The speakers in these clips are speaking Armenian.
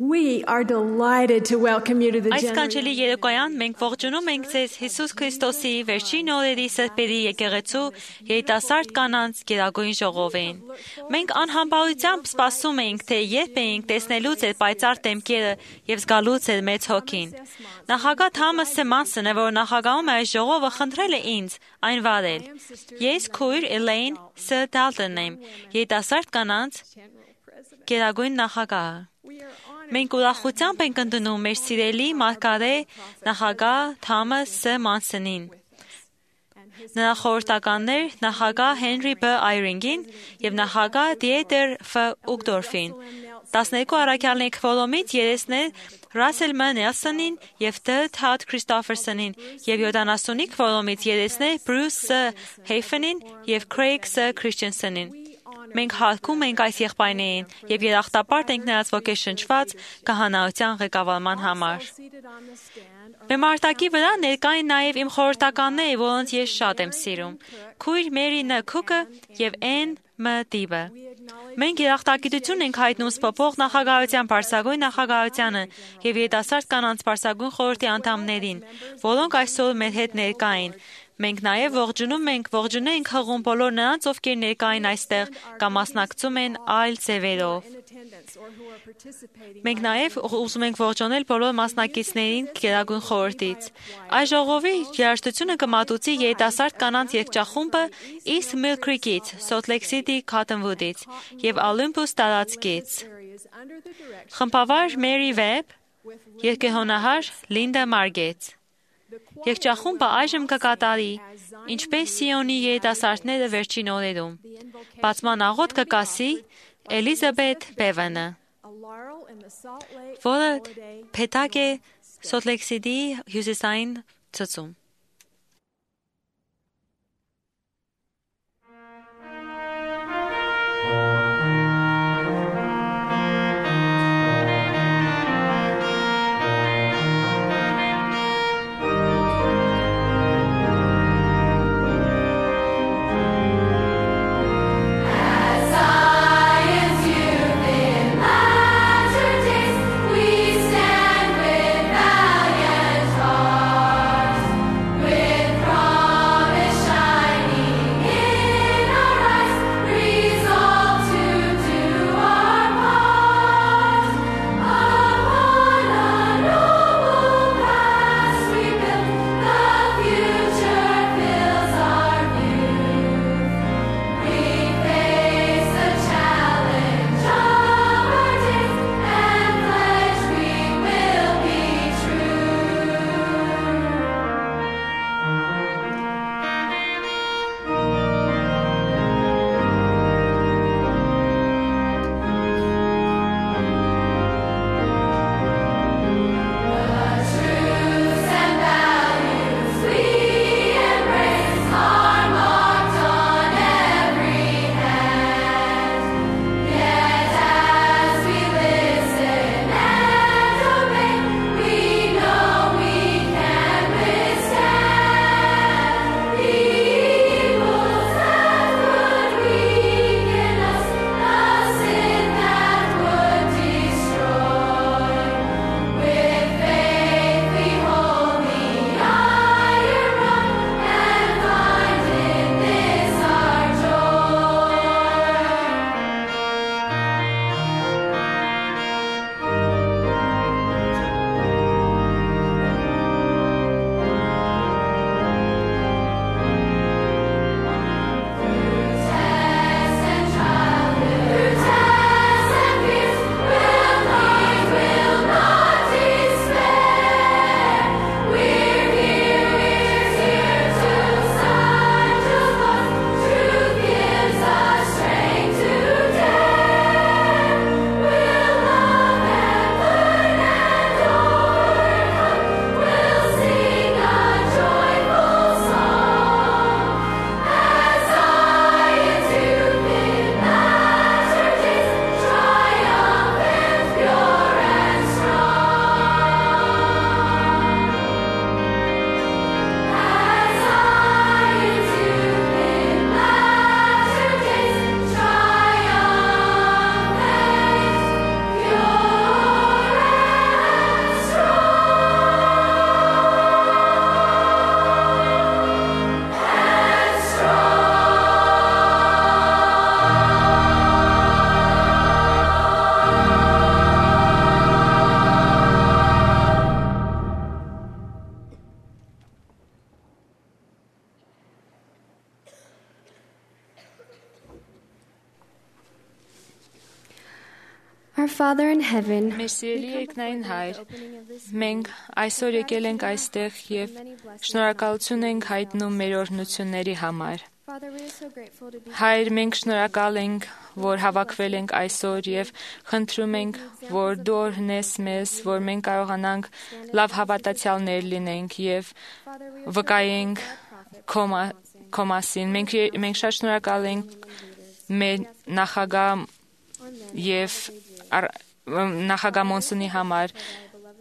We are delighted to welcome you to the Այս generation. կանչելի երեկոյան մենք ողջունում ենք ձեզ Հիսուս Քրիստոսի վերջին օրերի սրբերի եկեղեցու երիտասարդ կանանց գերագույն ժողովին։ Մենք անհամբարությամբ սպասում ենք, թե երբ ենք տեսնելու ձեր պայծառ դեմքերը եւ զգալու ձեր մեծ հոգին։ Նախագահ Թամաս Սեմանսոնը, որ նախագահում է այս ժողովը, խնդրել է ինձ այն վարել։ Ես քույր Էլեյն Ս. Դալտոնն եմ, երիտասարդ կանանց գերագույն նախագահը։ Մենք ուրախությամբ ենք ընդունում մեր սիրելի մարգարե նախագահ Թամաս Ս. Մանսոնին, նրա խորհրդականներ նախագահ Հենրի B. Այրինգին և նախագահ Դիետեր Ֆ. Ուգդորֆին, 12 առաքյալների քվորոմից երեսներ Ռասել M. Նելսոնին և Դ. Թադ Քրիստոֆերսոնին և 70-ի քվորոմից երեսներ Բրյուս Ս. Հեյֆենին և Քրեյգ Ս. Քրիստենսենին։ Մենք հարգում ենք այս եղբայրներին և երախտապարտ ենք նրանց ոգեշնչված քահանայության ղեկավարման համար։ Բեմարտակի վրա ներկա են նաև իմ խորհրդականները, որոնց ես շատ եմ սիրում, քույր Մերի Ն. Քուկը և N. M. Դիբը։ Մենք երախտագիտություն ենք հայտնում սփոփող նախագահության պարսագույն նախագահությանը և երիտասարդ կանանց պարսագույն խորհրդի անդամներին, որոնք այսօր մեր հետ ներկա են։ Մենք նաև ողջունենք հղում բոլոր նրանց, ովքեր ներկա են այստեղ կամ մասնակցում են այլ ձևերով։ Մենք նաև ուզում ենք ողջունել բոլոր մասնակիցներին գերագույն խորհրդից։ Այս ժողովի երաժշտությունը կմատուցի երիտասարդ կանանց երգչախումբը East Mill Creek-ից, Salt Lake City Cottonwood-ից և Olympus տարածքից։ Խմբավար Մերի Վեբ, երգեհոնահար Լինդա Մարգետ։ Երգչախումբը այժմ կկատարի «Ինչպես Սիոնի երիտասարդները վերջին օրերում»։ Բացման աղոթք կկասի Էլիզաբեթ Բևանը, որը փեթակ է Salt Lake City-ի հյուսիսային ծծում։ We stand with valiant hearts. Our Father in heaven, Մեր սիրելի երկնային Հայր, մենք այսօր եկել ենք այստեղ եւ շնորհակալություն ենք հայտնում մեր օրհնությունների համար։ Հայր, մենք շնորհակալ ենք, որ հավաքվել ենք այսօր եւ խնդրում ենք, որ դու օրհնես մեզ, որ մենք կարողանանք լավ հավատացյալներ լինենք եւ վկայենք քո մասին։ Մենք շատ շնորհակալ ենք մեր նախագահ եւ նախագահ Մոնսոնի համար։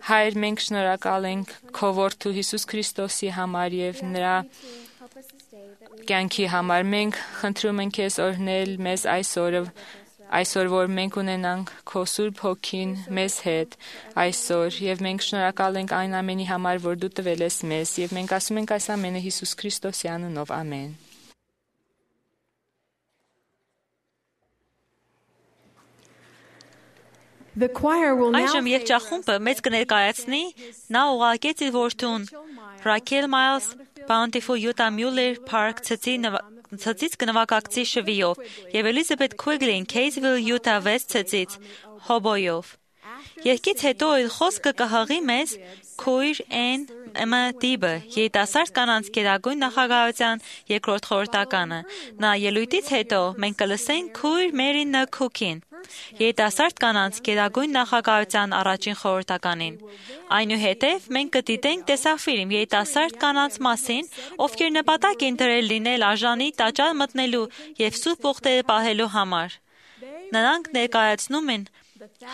Հայր, մենք շնորհակալ ենք քո որդու Հիսուս Քրիստոսի համար եւ նրա կյանքի համար։ Մենք խնդրում ենք քեզ օրհնել մեզ այսօր, որ մենք ունենանք քո Սուրբ Հոգին մեզ հետ այսօր եւ մենք շնորհակալ ենք այն ամենի համար, որ դու տվել ես մեզ եւ մենք ասում ենք այս ամենը Հիսուս Քրիստոսի անունով, ամեն։ Այժմ երգչախումբը մեծ կներկայացնի նա ուղարկեց իր որդուն Ռաքել Մայլս Bountiful Utah Mueller Park ցծից կնվագակցի շվիով եւ Էլիզաբեթ Քուիգլին Քեյզվիլ Utah West ցծից հոբոյով։ Երգից հետո իր խոսքը կհղի մեզ քույր Էմմա Դիբը, երիտասարդ կանանց գերագույն նախագահության երկրորդ խորհրդականը։ Նա ելույթից հետո մենք կլսենք քույր Մերի Նքուքին, երիտասարդ կանանց գերագույն նախագահության առաջին խորհրդականին։ Այնուհետև մենք կդիտենք տեսաֆիլմ երիտասարդ կանանց մասին, ովքեր նպատակ են դրել լինել արժանի տաճար մտնելու եւ սուրբ ուխտերը պահելու համար։ Նրանք ներկայացնում են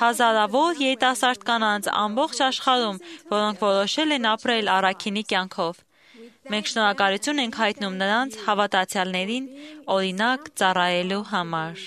հազարավոր երիտասարդ կանանց ամբողջ աշխարհում, որոնք որոշել են ապրել առաքինի կյանքով։ Մենք շնորհակալություն ենք հայտնում նրանց հավատացյալներին օրինակ ծառայելու համար։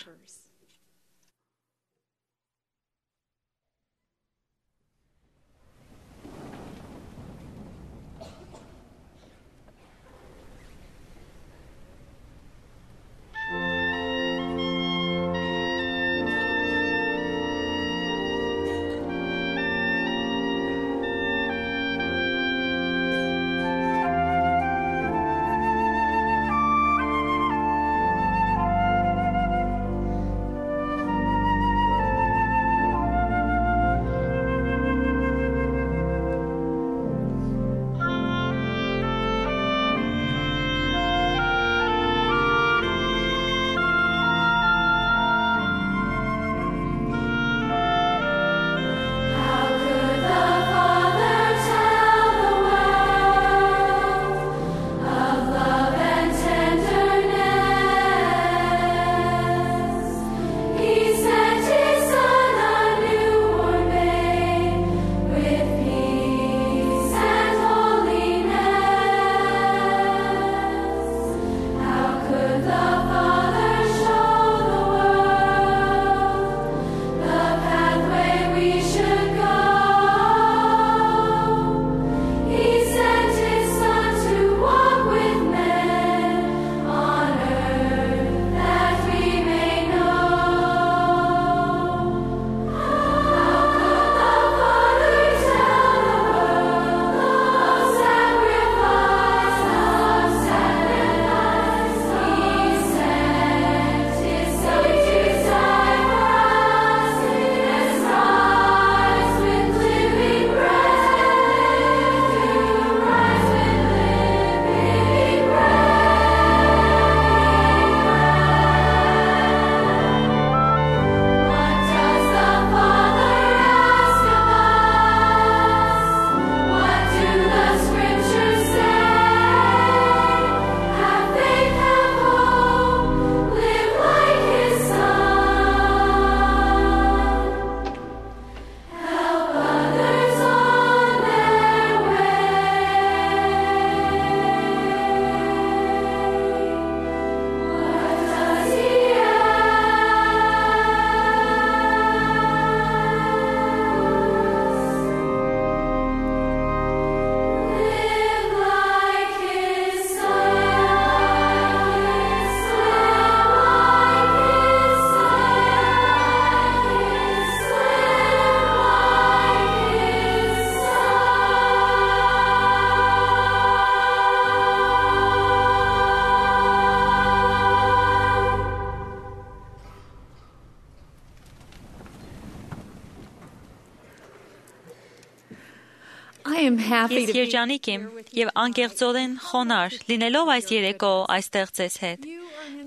I am happy Ես to be երջանիկ եմ եւ անկեղծորեն խոնարհ լինելով այս երեկո այստեղ ձեզ հետ։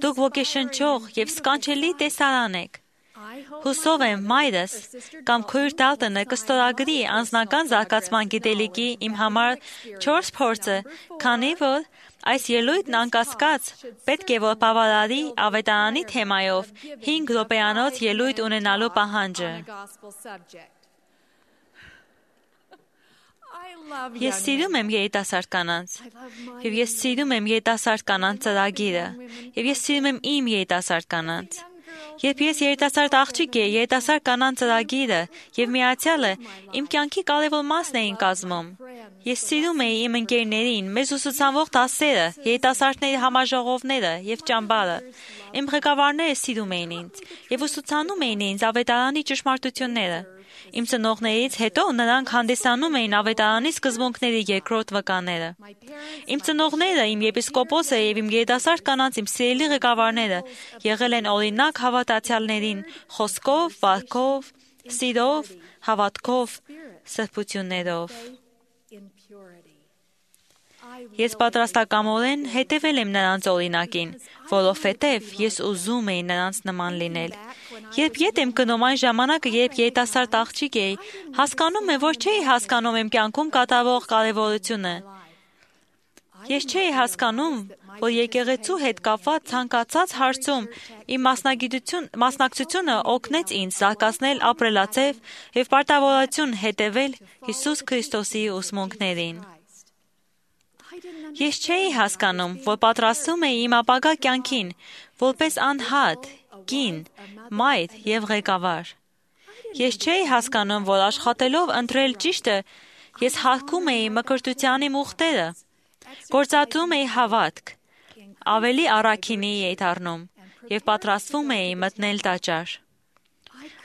Դուք ոգեշնչող եւ սքանչելի տեսարան եք։ Հուսով եմ մայրս կամ քույր Դալտոնը կստորագրի անձնական զարգացման գիտելիքի իմ համար 4 փորձը, քանի որ այս ելույթն անկասկած պետք է որ բավարարի ավետարանի թեմայով 5 րոպեանոց ելույթ ունենալու պահանջը։ Ես սիրում եմ երիտասարդ կանանց, եւ ես սիրում եմ երիտասարդ կանանց ծրագիրը, եւ ես սիրում եմ իմ երիտասարդ կանանց։ Երբ ես երիտասարդ աղջիկ էի, երիտասարդ կանանց ծրագիրը եւ միացյալը իմ կյանքի կարևոր մասն էին կազմում։ Ես սիրում էի իմ ընկերներին, մեզ ուսուցանող դասերը, երիտասարդների համաժողովները եւ ճամբարը։ Իմ ղեկավարները սիրում էին ինձ եւ ուսուցանում էին ինձ ավետարանի ճշմարտությունները։ Իմ ծնողներից հետո նրանք հանդիսանում էին ավետարանի սկզբունքների երկրորդ վկաները։ Իմ ծնողները, իմ եպիսկոպոսը եւ իմ երիտասարդ կանանց իմ սիրելի ղեկավարները եղել են օրինակ հավատացյալներին խոսքով, վարքով, սիրով, հավատքով, սրբություններով։ Ես պատրաստակամորեն հետևել եմ նրանց օրինակին, որովհետև ես ուզում էի նրանց նման լինել։ Երբ ետ եմ գնում այն ժամանակը, երբ երիտասարդ աղջիկ էի, հասկանում եմ, որ չէի հասկանում իմ կյանքում կատարվող կարևորությունը։ Ես չէի հասկանում, որ եկեղեցու հետ կապված ցանկացած հարցում իմ մասնակցությունը օգնեց ինձ զարգացնել ապրելաձև եւ պարտավորություն հետևել Հիսուս Քրիստոսի ուսմունքներին։ Ես չէի հասկանում, որ պատրաստում էի իմ ապագա կյանքին, որպես անհատ, կին, մայր եւ ղեկավար։ Ես չէի հասկանում, որ աշխատելով ընտրել ճիշտը, ես հարգում էի մկրտության իմ ուխտերը, գործադրում էի հավատք, ավելի առաքինի էի դառնում եւ պատրաստվում էի մտնել տաճար։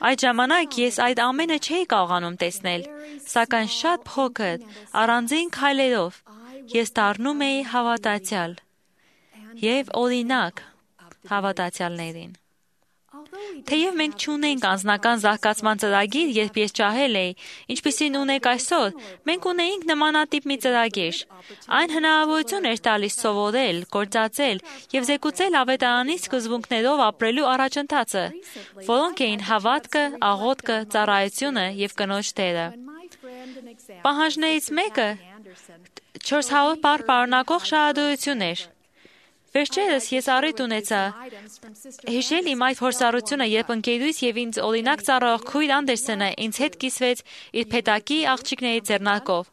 Այդ ժամանակ ես այդ ամենը չէի կարողանում տեսնել, սակայն շատ փոքր, առանձին քայլերով ես դառնում էի հավատացյալ եւ օրինակ հավատացյալներին։ Թեև մենք չունենք անձնական զարգացման ծրագիր, երբ ես ճահել էի, ինչպիսին ունենք այսօր, մենք ունեինք նմանատիպ մի ծրագիր։ Այն հնարավորություն էր տալիս սովորել, գործածել եւ զեկուցել ավետարանի սկզբունքներով ապրելու առաջընթացը, որոնք էին հավատքը, աղոթքը, ծառայությունը եւ կնոջ դերը։ Պահանջներից մեկը 400 բառ պարունակող շահադրություն էր։ Վերջերս ես առիթ ունեցա հիշել իմ այդ փորձառությունը, երբ ընկերուհիս եւ ինձ օրինակ ծառայող քույր Անդերսոնը ինձ հետ կիսվեց իր փեթակի աղջիկների ձեռնարկով։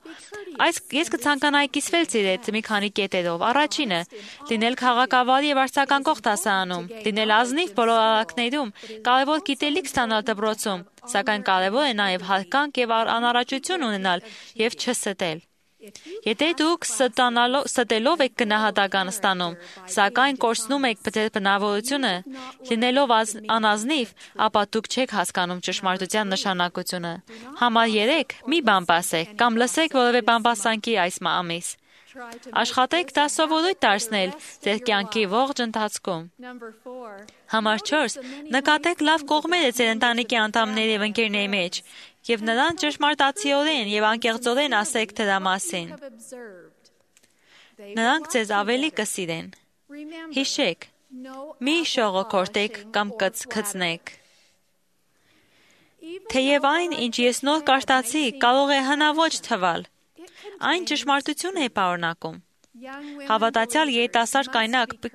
Ես կցանկանայի կիսվել ձեր հետ մի քանի կետերով։ Առաջինը՝ լինել քաղաքավարի եւ արձագանքող դասարանում, լինել ազնիվ բոլոր արարքներում, կարևոր գիտելիք ստանալ դպրոցում, սակայն կարևոր է նաեւ հարգանք եւ անառաջություն ունենալ եւ չստել։ Եթե դուք ստելով եք գնահատական ստանում, սակայն կորցնում եք ձեր բնավորությունը, լինելով անազնիվ, ապա դուք չեք հասկանում ճշմարտության նշանակությունը։ Համար 3 մի բան ասեք կամ լսեք որևէ բամբասանքի այս ամիս։ Աշխատեք դա սովորույթ դարձնել ձեր կյանքի ողջ ընթացքում։ Համար 4 նկատեք լավ կողմերը ձեր ընտանիքի անդամների եւ ընկերների մեջ եւ նրան ճշմարտացիորեն եւ անկեղծորեն ասեք դրա մասին։ Նրանք ձեզ ավելի կսիրեն։ Հիշեք, մի շողոքորտեք կամ կծնեք։ Թեև այն, ինչ ես նոր կարտացի, կարող է հնաոճ թվալ, այն ճշմարտություն է պարունակում։ Հավատացյալ երիտասարդ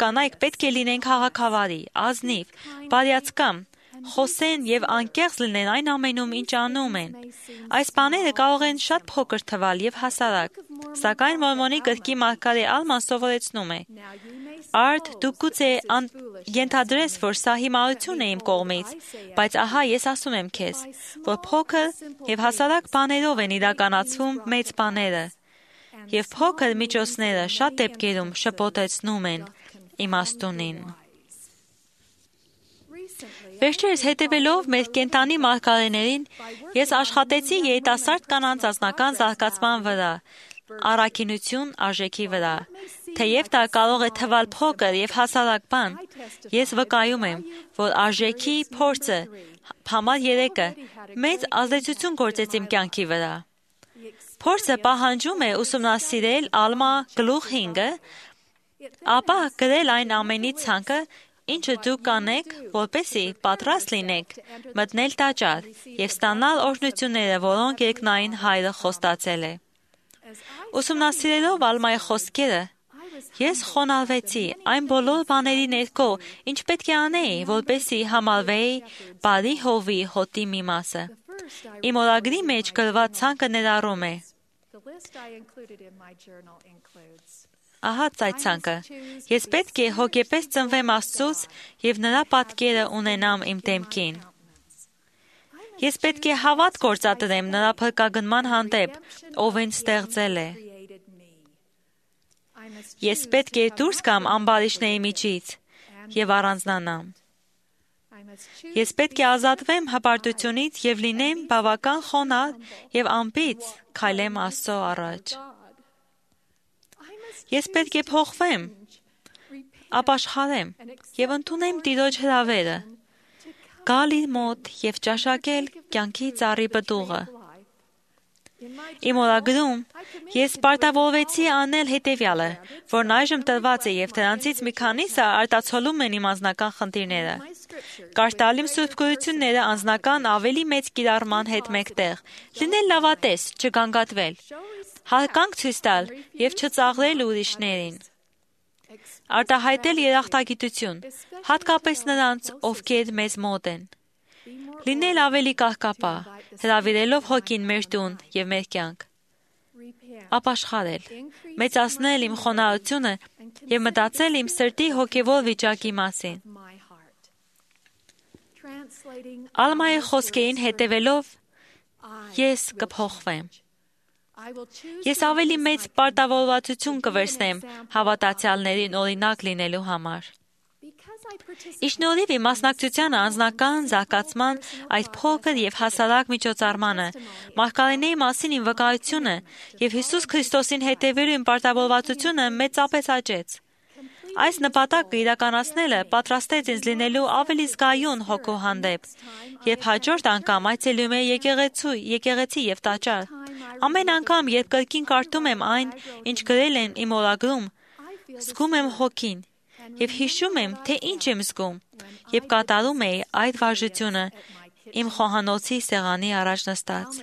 կանայք պետք է լինեն քաղաքավարի, ազնիվ, բարյացկամ, խոսեն եւ անկեղծ լինեն այն ամենում, ինչ անում են։ Այս բաները կարող են շատ փոքր թվալ եւ հասարակ, սակայն Մորմոնի գրքի մարգարե Ալման սովորեցնում է. Արդ դու գուցե ենթադրես, որ սա հիմարություն է իմ կողմից, բայց ահա ես ասում եմ քեզ, որ փոքր եւ հասարակ բաներով են իրականացվում մեծ բաները, եւ փոքր միջոցները շատ դեպքերում շփոթեցնում են իմաստունին։ Վերջերս հետևելով մեր կենտանի մարգարեներին, ես աշխատեցի երիտասարդ կանանց անձնական զարգացման վրա, առաքինություն արժեքի վրա։ Թեև դա կարող է թվալ փոքր եւ հասարակ բան, ես վկայում եմ, որ արժեքի փորձը համար 3-ը մեծ ազդեցություն գործեց իմ կյանքի վրա։ Փորձը պահանջում է ուսումնասիրել Ալմա գլուխ 5-ը, ապա գրել այն ամենի ցանկը, ինչը դուք կանեք, որպեսզի պատրաստ լինեք մտնել տաճար եւ ստանալ օրհնությունները, որոնք երկնային Հայրը խոստացել է։ Ուսումնասիրելով Ալմայի խոսքերը, ես խոնարհվեցի այն բոլոր բաների ներքո, ինչ պետք է անեի, որպեսզի համարվեի բարի հովի հոտի մի մասը։ Իմ օրագրի մեջ գրված ցանկը ներառում է. Ահա այդ ցանկը. ես պետք է հոգեպես ծնվեմ Աստծուց եւ նրա պատկերը ունենամ իմ դեմքին։ Ես պետք է հավատ գործադրեմ նրա փրկագնման հանդեպ, ով ինձ ստեղծել է։ Ես պետք է դուրս գամ ամբարիշների միջից եւ առանձնանամ։ Ես պետք է ազատվեմ հպարտությունից եւ լինեմ բավական խոնարհ եւ անպից քայլեմ Աստծո առաջ։ Ես պետք է փոխվեմ, ապաշխարեմ եւ ընդունեմ Տիրոջ հրավերը, գալ իր մոտ եւ ճաշակել կյանքի ծառի պտուղը։ Իմ օրագրում ես պարտավորվեցի անել հետևյալը, որն այժմ տրված է եւ դրանցից մի քանիսը արտացոլում են իմ անձնական խնդիրները։ Կարդալ իմ սուրբ գրությունները անձնական ավելի մեծ կիրառման հետ մեկտեղ, լինել լավատես, չգանգատվել, հարգանք ցույց տալ եւ չծաղրել ուրիշներին։ Արտահայտել երախտագիտություն, հատկապես նրանց, ովքեր մեզ մոտ են։ Լինել ավելի կահկապահ, հրավիրելով հոգին մեր տուն եւ մեր կյանք։ Ապաշխարել, մեծացնել իմ խոնարհությունը եւ մտածել իմ սրտի հոգեվոր վիճակի մասին։ Ալմայի խոսքերին հետևելով ես կփոխվեմ։ Ես ավելի մեծ պարտավորվածություն կվերցնեմ հավատացյալներին օրինակ լինելու համար։ Իշնորհիվ իմ մասնակցությանը անձնական զարգացման այդ փոքր եւ հասարակ միջոցառմանը, մարգարեների մասին իմ վկայությունը եւ Հիսուս Քրիստոսին հետևելու իմ պարտավորվածությունը մեծապես աճեց։ Այս նպատակը իրականացնելը պատրաստեց ինձ լինելու ավելի զգայուն հոգու հանդեպ, երբ հաջորդ անգամ այցելում եմ եկեղեցի եւ տաճար։ Ամեն անգամ, երբ կրկին կարդում եմ այն, ինչ գրել են իմ օրագրում, զգում եմ հոգին եւ հիշում եմ, թե ինչ եմ զգում, երբ կատարում էի այդ վարժությունը իմ խոհանոցի սեղանի առաջ նստած։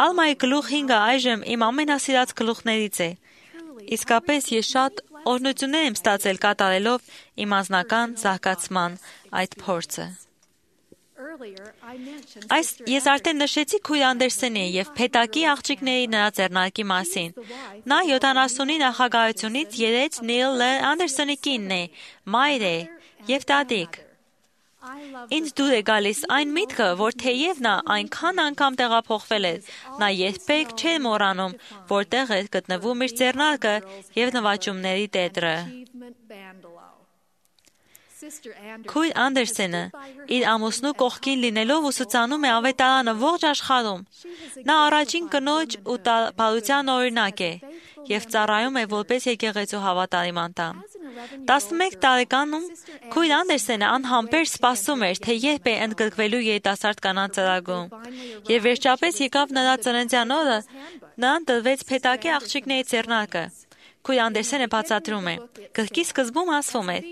Ալմայի գլուխ 5-ը այժմ իմ ամենասիրած գլուխներից է։ Իսկապես ես շատ օրհնություններ եմ ստացել կատարելով իմ անձնական զարգացման այդ փորձը։ Ես արդեն նշեցի քույր Անդերսենի եւ Փետակի աղջիկների նրա ձեռնարկի մասին։ Նա 70-ի նախագահությունից երեց Նիլ Լ. Անդերսոնի կինն է, մայր է եւ տատիկ։ Ինձ դուր է գալիս այն միտքը, որ թեև նա այնքան անգամ տեղափոխվել էր, նա երբեք չէր մոռանում, որտեղ էր գտնվում իր ձեռնարկը եւ նվաճումների տետրը։ Քույր Անդերսենը իր ամուսնու կողքին լինելով ուսուցանում է ավետարանը ողջ աշխարհում։ Նա առաջին կնոջ ու բարության օրինակ է եւ ծառայում է որպես եկեղեցու հավատարիմ անդամ։ 11 տարեկանում քույր Անդերսենը անհամբեր սպասում էր, թե երբ է ընդգրկվելու երիտասարդ կանանց ծրագրում։ Եվ վերջապես եկավ նրա ծննդյան օրը, նրան տրվեց Փետակի աղջիկների ձեռնարկը։ Քույր Անդերսենը բացատրում է. գրքի սկզբում ասվում էր,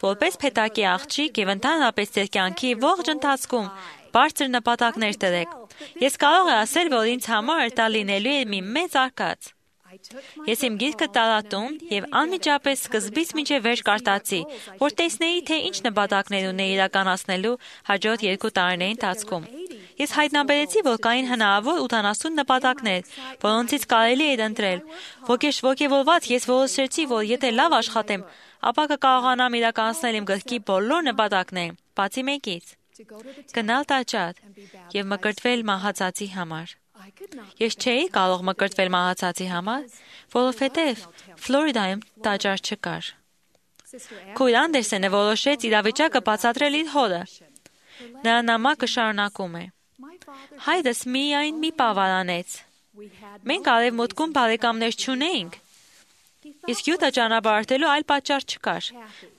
որպես Փետակի աղջիկ եւ ընդհանրապես ձեր կյանքի ողջ ընթացքում բարձր նպատակներ դրեք։ Ես կարող եմ ասել, որ ինձ համար դա լինելու է մի մեծ արկած։ Ես իմ գիրքը տարատում եւ անմիջապես սկզբից մինչեւ վերջ կարդացի, որ տեսնեի, թե ինչ նպատակներ ունեի իրականացնելու հաջորդ 2 տարիների ընթացքում։ Ես հայտնաբերեցի, որ կային հնարավոր 80 նպատակներ, որոնցից կարելի էր ընտրել։ Ոգևորված ես որոշեցի, որ եթե լավ աշխատեմ, ապա կկարողանամ իրականացնել իմ գրքի բոլոր նպատակները, բացի մեկից՝ գնալ տաճար եւ մկրտվել մահացածի համար։ Ես չէի կարող մկրտվել մահացածի համար, որովհետև Ֆլորիդայում տաճար չկար։ Քույր Անդերսենը որոշեց իրավիճակը բացատրել իր հորը։ Նրա նամակը շարունակում է. հայրս միայն մի պահ վարանեց։ Մենք արևմուտքում բարեկամներ չունեինք։ Իսկ Յուտա ճանապարհորդելու այլ պատճառ չկար։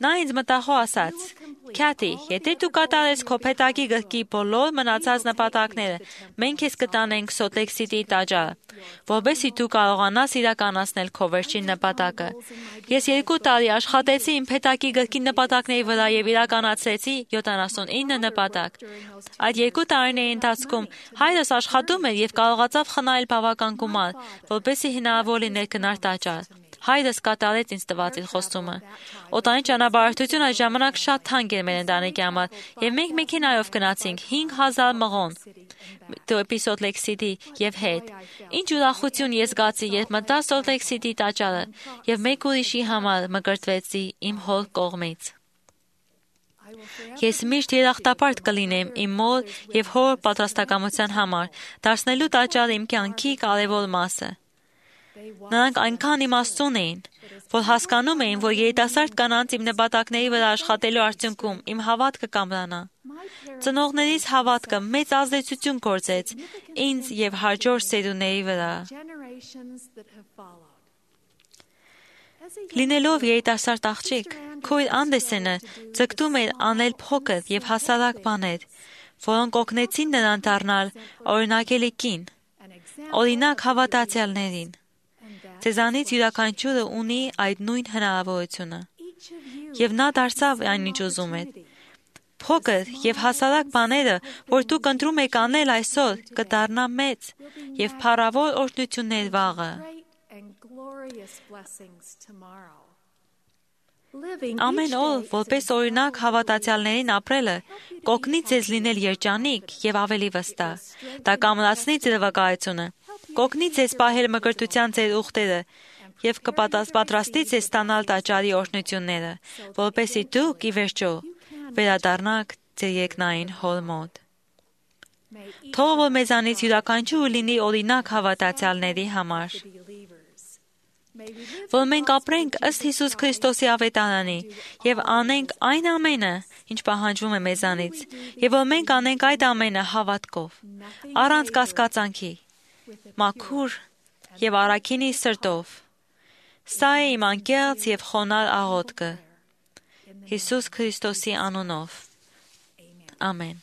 Նա ինձ մտախոհ ասաց. «Քյաթի, եթե դու կատարես քո փեթակի գլխի բոլոր մնացած նպատակները, մենք քեզ կտանենք Սոլտ Լեյք Սիթիի տաճարը, որովհետեւ դու կարողանաս իրականացնել քո վերջին նպատակը։ Ես 2 տարի աշխատեցի իմ փեթակի գլխի նպատակների վրա եւ իրականացրեցի 79 նպատակ։ Այդ 2 տարիների ընթացքում հայրս աշխատում էր եւ կարողացավ խնայել բավական գումար, որպեսզի հնարավոր լիներ գնալ տաճար։ Հայրս կատարեց ինձ տված իր խոստումը։ Օտանի ճանապարհորդությունը այդ ժամանակ շատ թանկ էր մեր ընտանիքի համար, եւ մենք մեքենայով գնացինք 5000 մղոն դեպի Սոլտ Լեյք Սիթի եւ հետ։ Ինչ ուրախություն ես զգացի, երբ մտա Սոլտ Լեյք Սիթի տաճարը եւ մեկ ուրիշի համար մկրտվեցի իմ հոր կողմից։ Ես միշտ երախտապարտ կլինեմ իմ մոր եւ հոր պատրաստակամության համար, դարձնելու տաճարը իմ կյանքի կարևոր մասը։ Նրանք այնքան իմաստուն էին, որ հասկանում էին, որ երիտասարդ կանանց իմ նպատակների վրա աշխատելու արդյունքում իմ հավատքը կամրանա։ Ծնողներիս հավատքը մեծ ազդեցություն գործեց ինձ եւ հաջորդ սերունդների վրա։ Լինելով երիտասարդ աղջիկ, քույր Անդերսենը ձգտում էր անել փոքր եւ հասարակ բաներ, որոնք օգնեցին նրան դառնալ օրինակելի կին, օրինակ հավատացյալներին։ Ձեզանից յուրաքանչյուրը ունի այդ նույն հնարավորությունը, եւ նա դարձավ այն ինչ ուզում էր։ Փոքր եւ հասարակ բաները, որ դուք ընտրում եք անել այսօր, կդառնա մեծ եւ փառավոր օրհնություններ վաղը։ Ամեն օր, որպես օրինակ հավատացյալներին ապրելը, կօգնի ձեզ լինել երջանիկ եւ ավելի վստահ։ Դա կամրացնի ձեր վկայությունը, կօգնի ձեզ պահել մկրտության ձեր ուխտերը եւ կպատրաստի ձեզ ստանալ տաճարի օրհնությունները, որպեսզի դուք ի վերջո վերադառնաք ձեր երկնային հոր մոտ։ Թող որ մեզանից յուրաքանչյուրը լինի օրինակ հավատացյալների համար։ Որ մենք ապրենք ըստ Հիսուս Քրիստոսի ավետարանի եւ անենք այն ամենը, ինչ պահանջվում է մեզանից, եւ որ մենք անենք այդ ամենը հավատքով, առանց կասկածանքի, մաքուր եւ առաքինի սրտով։ Սա է իմ անկեղծ եւ խոնարհ աղոթքը Հիսուս Քրիստոսի անունով։ Ամեն։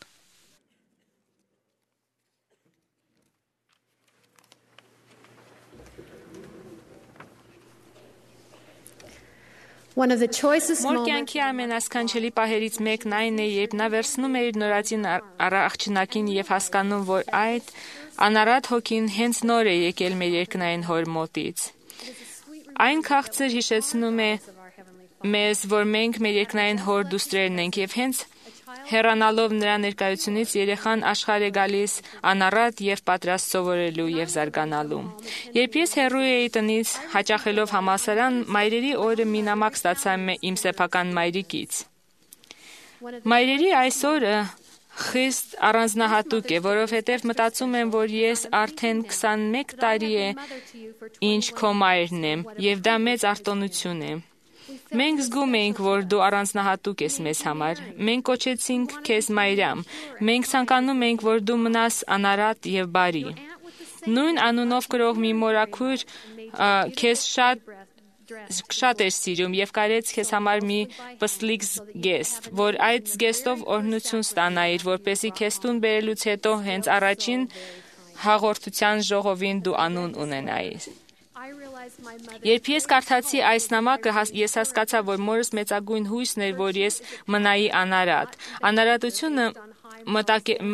Մոր կյանքի ամենասքանչելի պահերից մեկն այն է, երբ նա վերցնում է իր նորածին աղջնակին եւ հասկանում, որ այդ անարատ հոգին հենց նոր է եկել մեր երկնային հոր մոտից։ Այն քաղցր հիշեցնում է մեզ, որ մենք մեր երկնային հոր դուստրերն ենք եւ հենց հեռանալով նրա ներկայությունից երեխան աշխարհ է գալիս անառատ եւ պատրաստ սովորելու եւ զարգանալու։ Երբ ես հեռու էի տնից հաճախելով համալսարան, մայրերի օրը մի նամակ ստացա իմ սեփական մայրիկից։ Մայրերի այս օրը խիստ առանձնահատուկ է, որովհետև մտածում եմ, որ ես արդեն 21 տարի է ինչ քո մայրն եմ եւ դա մեծ արտոնություն է։ Մենք զգում էինք, որ դու առանձնահատուկ ես մեզ համար։ Մենք կոչեցինք քեզ Մայրամ։ Մենք ցանկանում ենք, որ դու մնաս անարատ եւ բարի։ Նույն անունով կրող մի մորաքույր քեզ շատ էր սիրում եւ կարեց քեզ համար մի պստլիկ զգեստ, որ այդ զգեստով օրհնություն ստանայիր, որպեսզի քեզ տուն բերելուց հետո հենց առաջին հաղորդության ժողովին դու անուն ունենայիր։ Երբ ես կարդացի այս նամակը, ես հասկացա, որ մորս մեծագույն հույսն էր, որ ես մնայի անարատ։ Անարատությունը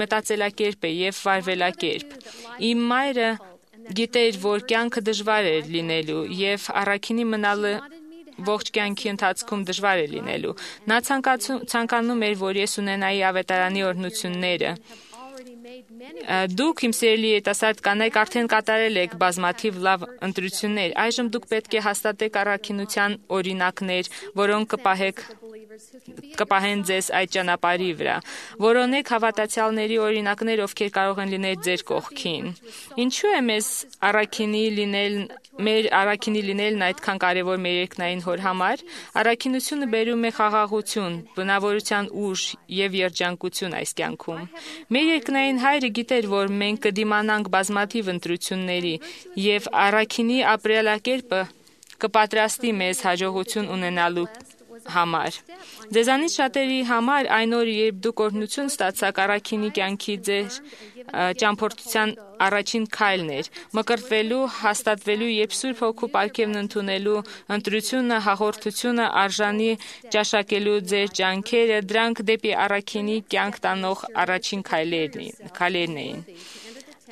մտածելակերպ է եւ վարվելակերպ։ Իմ մայրը գիտեր, որ կյանքը դժվար է լինելու եւ առաքինի մնալը ողջ կյանքի ընթացքում դժվար է լինելու։ Նա ցանկանում էր, որ ես ունենայի ավետարանի օրհնությունները։ Դուք, իմ սիրելի երիտասարդ կանայք, արդեն կատարել եք բազմաթիվ լավ ընտրություններ։ Այժմ դուք պետք է հաստատեք առաքինության օրինակներ, որոնք կպահեն ձեզ այդ ճանապարհի վրա։ Որոնեք հավատացյալների օրինակներ, ովքեր կարող են լինել ձեր կողքին։ Ինչու է մեր առաքինի լինելն այդքան կարևոր մեր երկնային հոր համար։ Առաքինությունը բերում է խաղաղություն, բնավորության ուժ եւ երջանկություն այս կյանքում։ Մեր երկնային հայրը գիտեր, որ մենք կդիմանանք բազմաթիվ ընտրությունների եւ առաքինի ապրելակերպը կպատրաստի մեզ հաջողություն ունենալու համար։ Ձեզանից շատերի համար այն օրը, երբ դուք օրհնություն ստացաք, առաքինի կյանքի ձեր ճամփորդության առաջին քայլն էր, մկրտվելու, հաստատվելու եւ Սուրբ Հոգու պարգևն ընդունելու ընտրությունը, հաղորդությունը, արժանի ճաշակելու ձեր ջանքերը, դրանք դեպի առաքինի կյանք տանող առաջին քայլերն էին։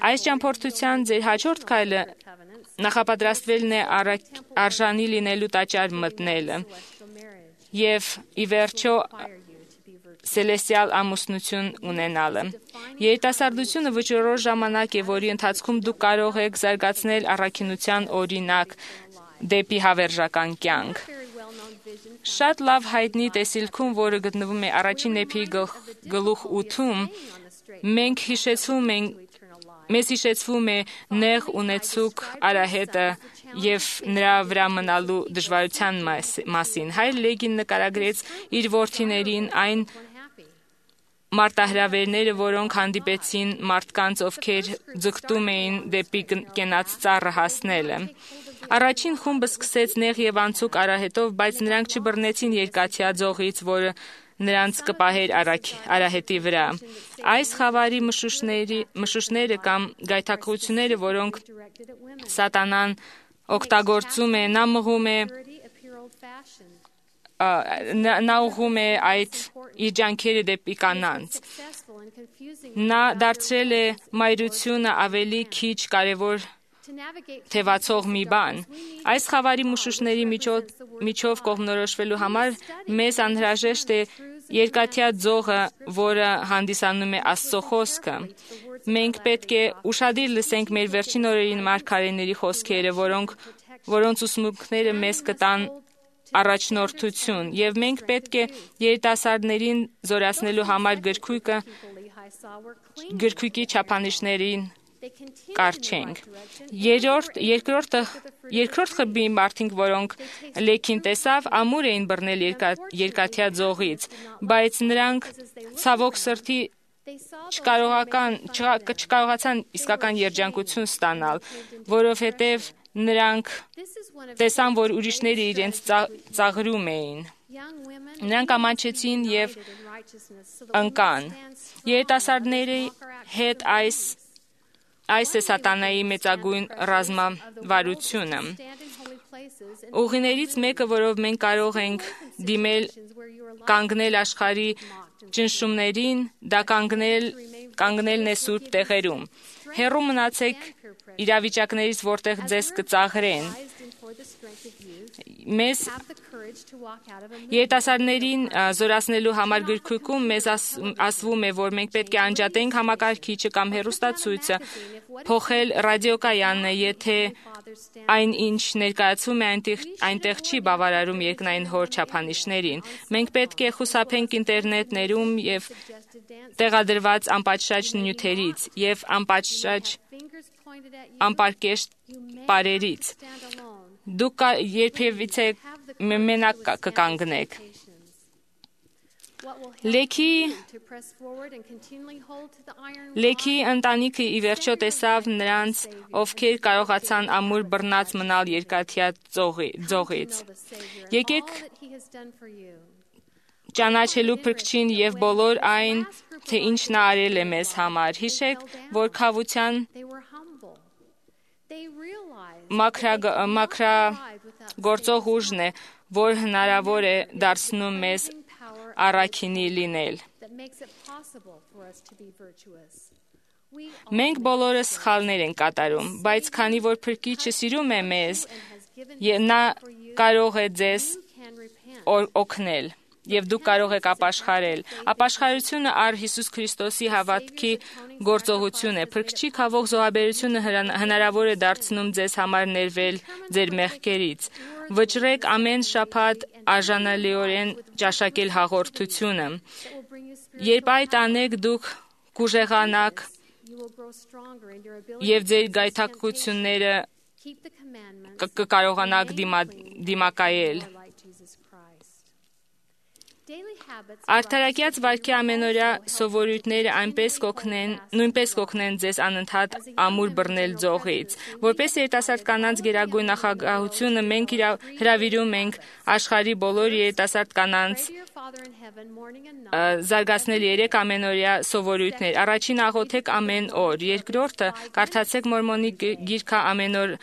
Այս ճամփորդության ձեր հաջորդ քայլը նախապատրաստվելն է արժանի լինելու տաճար մտնելը եւ ի վերջո սելեստիալ ամուսնություն ունենալը։ Երիտասարդությունը վճռորոշ ժամանակ է, որի ընթացքում դուք կարող եք զարգացնել առաքինության օրինակ դեպի հավերժական կյանք։ Շատ լավ հայտնի տեսիլքում, որը գտնվում է առաջին Եփեի գլուխ 8-ում, մեզ հիշեցվում է նեղ ունեցուկ արահետը եւ նրա վրա մնալու դժվարության մասին։ Հայր Լեգին նկարագրեց իր որդիներին այն մարտահրավերները, որոնք հանդիպեցին մարդկանց, ովքեր ձգտում էին դեպի կենաց ծառը հասնելը։ Առաջին խումբը սկսեց նեղ եւ անցուկ արահետով, բայց նրանք չբռնեցին երկաթյա ձողից, որը նրանց կպահեր արահետի վրա։ Այս խավարի մշուշները կամ գայթակղությունները, որոնք սատանան օգտագործում է, նա ուղղում է այդ իր ջանքերը դեպի կանանց։ Նա դարձրել է մայրությունը ավելի քիչ կարևոր թևացող մի բան։ Այս խավարի մշուշների միջով կողմնորոշվելու համար մեզ անհրաժեշտ է երկաթյա ձողը, որը հանդիսանում է Աստծո խոսքը։ Մենք պետք է ուշադիր լսենք մեր վերջին օրերին մարգարեների խոսքերը, որոնց ուսմունքները մեզ կտան առաջնորդություն, եւ մենք պետք է երիտասարդներին զորացնելու համար գրքույկի չափանիշներին կարճենք։ Երկրորդ խմբի մարդիկ, որոնք Լեքին տեսավ, ամուր էին բռնել երկաթյա ձողից, բայց նրանք ցավոք սրտի չկարողացան իսկական երջանկություն ստանալ, որովհետև նրանք տեսան, որ ուրիշները իրենց ծաղրում էին։ Նրանք ամաչեցին եւ ընկան։ Երիտասարդների հետ այս է սատանայի մեծագույն ռազմավարությունը։ Ուղիներից մեկը, որով մենք կարող ենք դիմել կանգնել աշխարհի ճնշումներին, դա կանգնելն է սուրբ տեղերում։ Հեռու մնացեք իրավիճակներից, որտեղ ձեզ կծաղրեն։ Մեզ երիտասարդներին զորացնելու համար գրքույկում մեզ ասվում է, որ մենք պետք է անջատենք համակարգիչը կամ հեռուստացույցը, փոխել ռադիոկայանը, եթե այն ինչ ներկայացվում է այնտեղ չի բավարարում երկնային հոր չափանիշներին։ Մենք պետք է խուսափենք ինտերնետներում եւ տեղադրված անպատշաճ նյութերից եւ անպարկեշտ պարերից։ Դուք երբևիցե մենակ կկանգնեք։ Լեքի ընտանիքը ի վերջո տեսավ նրանց, ովքեր կարողացան ամուր բռնած մնալ երկաթյա ձողից։ Եկեք ճանաչելու Փրկչին եւ բոլոր այն, թե ինչ նա արել է մեզ համար։ Հիշեք, որ քավության մաքրագործող ուժն է, որ հնարավոր է դարձնում մեզ առաքինի լինել։ Մենք բոլորս սխալներ ենք կատարում, բայց քանի որ Փրկիչը սիրում է մեզ, նա կարող է ձեզ օգնել եւ դուք կարող եք ապաշխարել։ Ապաշխարությունը առ Հիսուս Քրիստոսի հավատքի գործողություն է։ Փրկչի քավող զոհաբերությունը հնարավոր է դարձնում ձեզ համար ներվել ձեր մեղքերից։ Վճռեք ամեն շաբաթ արժանալիորեն ճաշակել հաղորդությունը։ Երբ այդ անեք, դուք կուժեղանաք եւ ձեր գայթակղությունները կկարողանաք դիմակայել։ Արդարակյաց վարքի ամենօրյա սովորույթները նույնպես կօգնեն ձեզ անընդհատ ամուր բռնել ձողից։ Որպես երիտասարդ կանանց գերագույն նախագահությունը մենք հրավիրում ենք աշխարհի բոլոր երիտասարդ կանանց զարգացնել 3 ամենօրյա սովորույթներ։ Առաջին աղոթեք ամեն օր, երկրորդը կարդացեք Մորմոնի գիրքը ամեն օր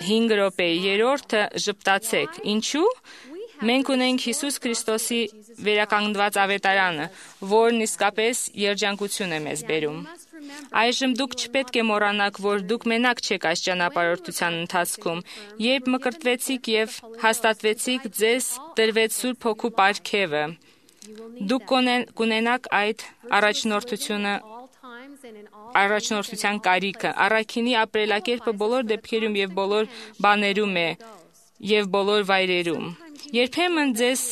5 րոպե, երրորդը ժպտացեք։ Ինչու՞։ Մենք ունենք Հիսուս Քրիստոսի վերականգնված ավետարանը, որն իսկապես երջանկություն է մեզ բերում։ Այժմ դուք չպետք է մոռանաք, որ դուք մենակ չեք այս ճանապարհորդության ընթացքում։ Երբ մկրտվեցիք եւ հաստատվեցիք, ձեզ տրվեց Սուրբ Հոգու պարգևը։ Դուք կունենաք այդ առաջնորդության կարիքը։ Առաքինի ապրելակերպը բոլոր դեպքերում եւ բոլոր բաներում է եւ բոլոր վայրերում։ Երբեմն ձեզ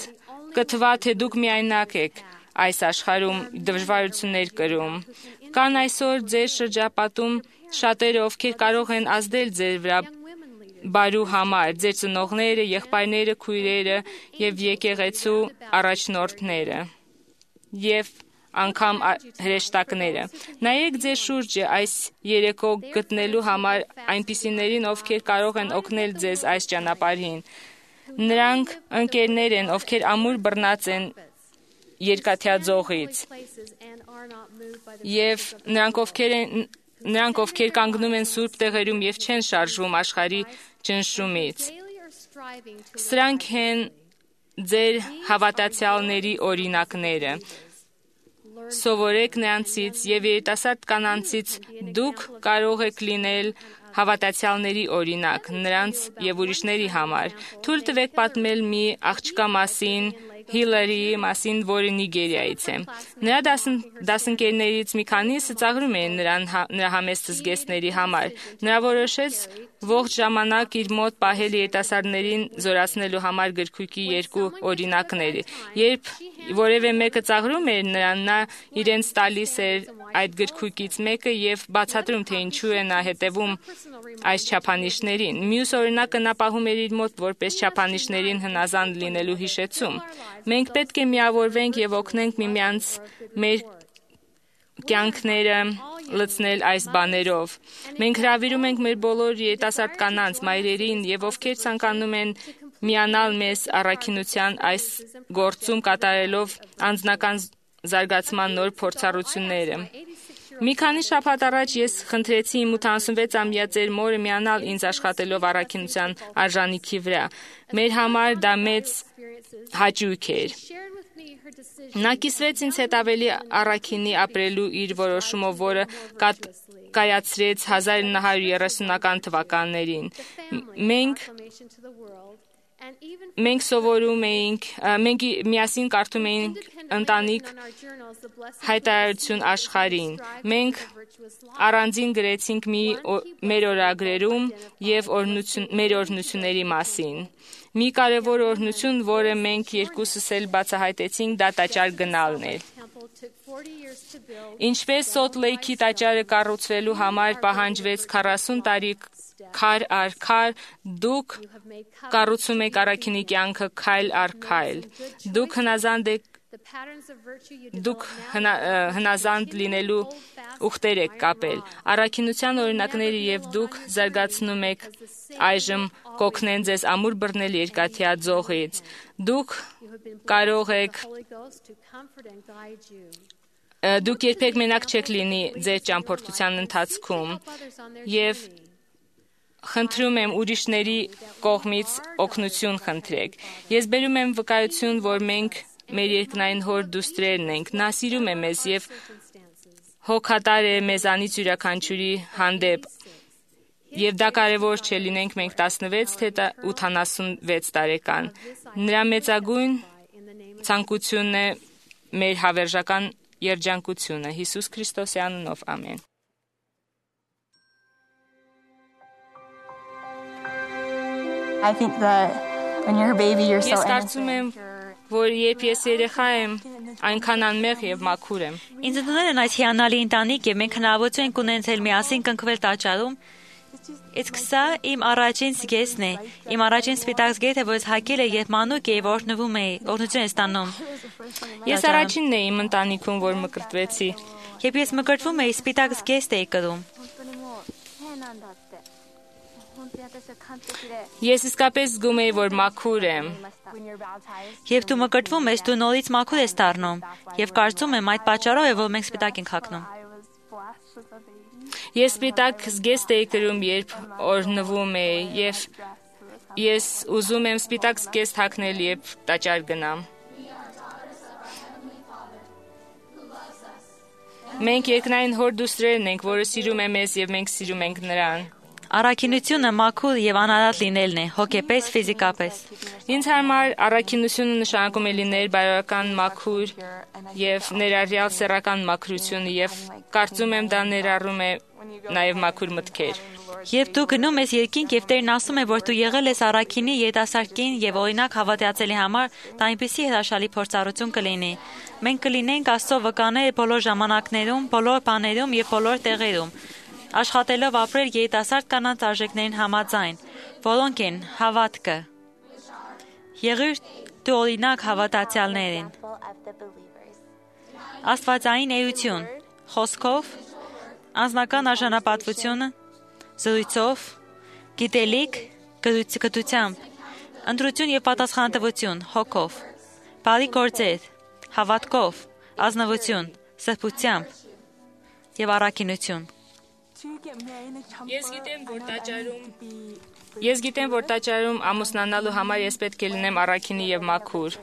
կթվա, թե դուք միայնակ եք այս աշխարհում դժվարություններ կրում։ Կան այսօր ձեր շրջապատում շատերը, ովքեր կարող են ազդել ձեր վրա բարու համար, ձեր ծնողները, եղբայրները, քույրերը եւ եկեղեցու առաջնորդները եւ անգամ հրեշտակները։ Նայեք ձեր շուրջը այս երեկո գտնելու համար այնպիսիներին, ովքեր կարող են օգնել ձեզ այս ճանապարհին։ Նրանք ընկերներ են, ովքեր ամուր բռնած են երկաթյա ձողից, եւ նրանք ովքեր կանգնում են սուրբ տեղերում եւ չեն շարժվում աշխարհի ճնշումից։ Սրանք են ձեր հավատացյալների օրինակները։ Սովորեք նրանցից եւ երիտասարդ կանանցից դուք կարող եք լինել հավատացյալների օրինակ նրանց եւ ուրիշների համար։ Թույլ տվեք պատմել մի աղջկա մասին, Հիլարիի մասին, որը Նիգերիայից է։ Նրա դասընկերներից մի քանիսը ծաղրում էին նրա համեստ զգեստների համար։ Նա որոշեց ողջ ժամանակ իր մոտ պահել երիտասարդներին զորացնելու համար գրքույկի 2 օրինակները։ Երբ որևէ մեկը ծաղրում էր նրան, նա իրենց տալիս էր այդ գրքույկից մեկը եւ բացատրում, թե ինչու է նա հետևում այս չափանիշներին։ Մյուս օրինակը նա պահում էր իր մոտ որպես չափանիշներին հնազանդ լինելու հիշեցում։ Մենք պետք է միավորվենք եւ օգնենք միմյանց մեր կյանքները լցնել այս բաներով։ Մենք հրավիրում ենք մեր բոլոր երիտասարդ կանանց, մայրերին եւ ովքեր ցանկանում են միանալ մեզ առաքինության այս գործում կատարելով անձնական զարգացման նոր փորձառությունները։ Մի քանի շաբաթ առաջ ես խնդրեցի իմ 86-ամյա ծեր մորը միանալ ինձ աշխատելով առաքինության արժանիքի վրա։ Մեր համար դա մեծ հաճույք էր։ Նա կիսվեց ինձ հետ ավելի առաքինի ապրելու իր որոշումով, որը կայացրեց 1930-ական թվականներին։ Մենք սովորում էինք, մենք միասին կարդում էինք ընտանիք հայտարարություն աշխարհին։ Մենք առանձին գրեցինք մեր օրագրերում եւ մեր օրհնությունների մասին։ Մի կարևոր օրհնություն, որը մենք երկուսս էլ բացահայտեցինք, դա տաճար գնալն էր։ Ինչպես Սոթ Լեյքի տաճարը կառուցվելու համար պահանջվեց 40 տարի քար առ քար, դուք կառուցում եք առաքինի կյանքը քայլ առ քայլ։ Դուք հնազանդ լինելու ուխտեր եք կապել։ Առաքինության օրինակները եւ դուք զարգացնում եք այժմ կօգնեն ձեզ ամուր բռնել երկաթյա ձողից։ Դուք կարող եք Դուք երբեք մենակ չեք լինի ձեր ճամփորդության ընթացքում եւ խնդրում եմ ուրիշների կողմից օգնություն խնդրեք։ Ես բերում եմ վկայություն, որ մենք մեր երկնային հոր դուստրերն ենք։ Նա սիրում է մեզ եւ հոգատար է մեզանից յուրաքանչյուրի հանդեպ։ Եվ դա կարևոր չէ լինենք մենք 16 թե 86 տարեկան։ Նրա մեծագույն ցանկությունն է մեր հավերժական երջանկությունը։ Հիսուս Քրիստոսի անունով, ամեն։ I think that when you're a baby, you're so Ես կարծում եմ, որ երբ ես երեխա եմ, այնքան անմեղ եւ մաքուր եմ։ Ինձ ընդունել են այս հիանալի ընտանիք եւ մենք հնարավորություն ենք ունեցել միասին կնքվել տաճարում Իսկ սա իմ առաջին զգեստն է, իմ առաջին սպիտակ զգեստը, որ հագել է, երբ մանուկ էի, օրհնվում էի, օրհնություն է ստանում։ Ես առաջինն էի իմ ընտանիքում, որ մկրտվեցի։ Երբ ես մկրտվում էի, սպիտակ զգեստ էի կրում։ Ես իսկապես զգում էի, որ մաքուր եմ։ Երբ դու մկրտվում ես, դու նորից մաքուր ես դառնում, եւ կարծում եմ այդ պատճառով է, որ մենք սպիտակ ենք հագնում։ Ես սպիտակ զգեստ էի կրում, երբ օրհնվում էի, եւ ես ուզում եմ սպիտակ զգեստ հագնել, երբ տաճար գնամ։ Մենք երկնային հոր դուստրերն ենք, որը սիրում է մեզ եւ մենք սիրում ենք նրան։ Առաքինությունը մաքուր եւ անարատ լինելն է, հոգեպես, ֆիզիկապես։ Ինձ համար առաքինությունը նշանակում է լինել բարոյական մաքուր եւ ներառյալ սեռական մաքրություն եւ կարծում եմ դա ներառում է նաեւ մաքուր մտքեր։ Երբ դու գնում ես երկինք եւ Տերն ասում է, որ դու եղել ես առաքինի երիտասարդին եւ օրինակ հավատացյալի համար, դա այնպեսի հրաշալի փորձառություն կլինի։ Մենք կլինենք Աստծո վկաներ բոլոր ժամանակներում, բոլոր բաներում եւ բոլոր տեղերում։ Աշխատելով ապրել երիտասարդ կանանց արժեքներին համաձայն, որոնք են հավատքը։ Եղիր դու օրինակ հավատացյալներին։ Աստվածային էություն, խոսքով, անձնական արժանապատվությունը, զրույցով, գիտելիք, գիտությամբ, ընտրություն եւ պատասխանատվություն, հոգով, բարի գործեր, հավատքով, ազնվություն, սրբությամբ եւ առաքինություն։ Ես գիտեմ, որ տաճարում ամուսնանալու համար ես պետք է լինեմ առաքինի եւ մաքուր։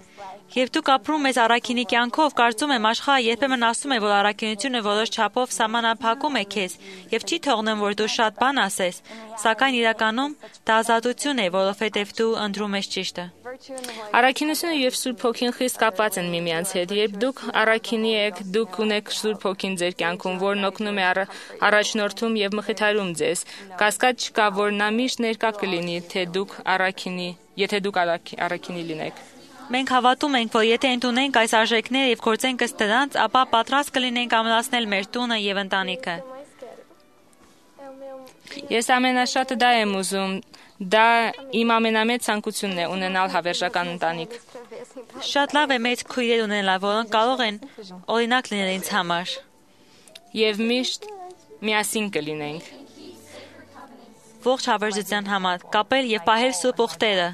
Երբ դու ապրում ես առաքինի կյանքով, կարծում եմ աշխարհը երբեմն ասում է, որ առաքինությունը որոշ չափով սահմանափակում է քեզ եւ չի թողնում, որ դու շատ բան ասես, սակայն իրականում դա ազատություն է, որովհետեւ դու ընտրում ես ճիշտը։ Առաքինությունը եւ Սուրբ Հոգին խիստ կապված են միմյանց հետ։ Երբ դուք առաքինի եք, դուք ունեք Սուրբ Հոգին ձեր կյանքում, որն օգնում է առաջնորդում եւ մխիթարում ձեզ։ Կասկած չկա, որ նա միշտ ներկա կլինի, եթե դուք առաքինի լինեք։ Մենք հավատում ենք, որ եթե ընդունենք այս արժեքները եւ գործենք ըստ դրանց, ապա պատրաստ կլինենք ամրացնել մեր տունը եւ ընտանիքը։ Ես ամենաշատը դա եմ ուզում։ Դա իմ ամենամեծ ցանկությունն է ունենալ հավերժական ընտանիք։ Շատ լավ է մեծ քույրեր ունենալ, որոնք կարող են օրինակ լինել ինձ համար։ Եվ միշտ միասին կլինենք։ Ողջ հավերժության համար կապել եւ պահել սուրբ ուխտերը։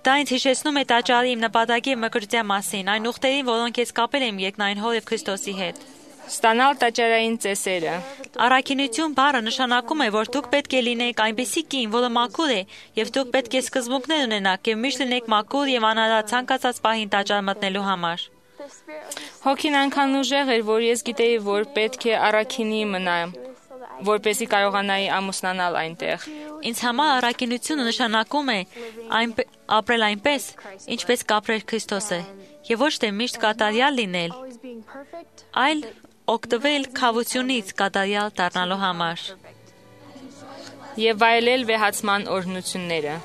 Դա ինձ հիշեցնում է տաճարի իմ նպատակի մկրտության մասին, այն ուխտերին, որոնք ես կապել եմ երկնային Հոր եւ Քրիստոսի հետ։ Ստանալ տաճարային ծեսերը։ Առաքինություն բառը նշանակում է, որ դուք պետք է լինեք այնպիսի կին, որը մաքուր է, եւ դուք պետք է սկզբունքներ ունենաք եւ միշտ լինեք մաքուր եւ անարատ ցանկացած պահին տաճար մտնելու համար։ Հոգին այնքան ուժեղ էր, որ ես գիտեի, որ պետք է առաքինի մնամ, որպեսզի կարողանայի ամուսնանալ այնտեղ։ Ինձ համար առաքինությունը նշանակում է ապրել այնպես, ինչպես կապրեր Քրիստոսը, եւ ոչ թե միշտ կատարյալ լինել, այլ օգտվել քավությունից կատարյալ դառնալու համար եւ վայելել վեհացման օրհնությունները։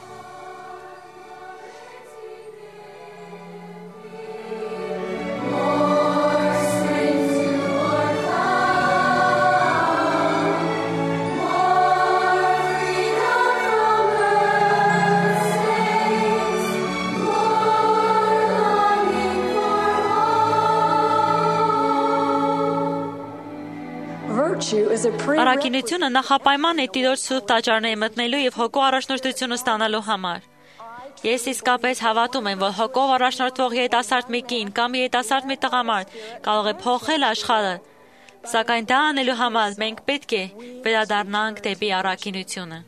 Առաքինությունը նախապայման է Տիրոջ սուրբ տաճարները մտնելու եւ հոգու առաջնորդությունը ստանալու համար։ Ես իսկապես հավատում եմ, որ հոգով առաջնորդվող երիտասարդ մի կին կամ երիտասարդ մի տղամարդ կարող է փոխել աշխարհը, սակայն դա անելու համար մենք պետք է վերադառնանք դեպի առաքինությունը։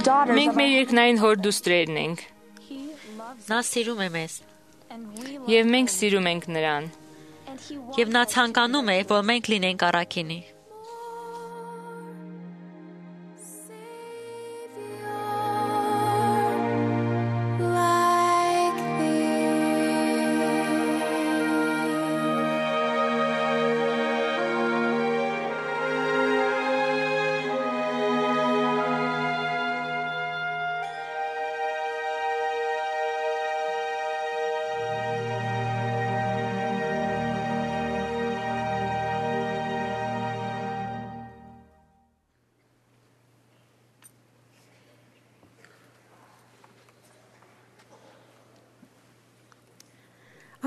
Մենք մեր երկնային հոր դուստրերն ենք։ Նա սիրում է մեզ։ Եվ մենք սիրում ենք նրան։ Եվ նա ցանկանում է, որ մենք լինենք առաքինի։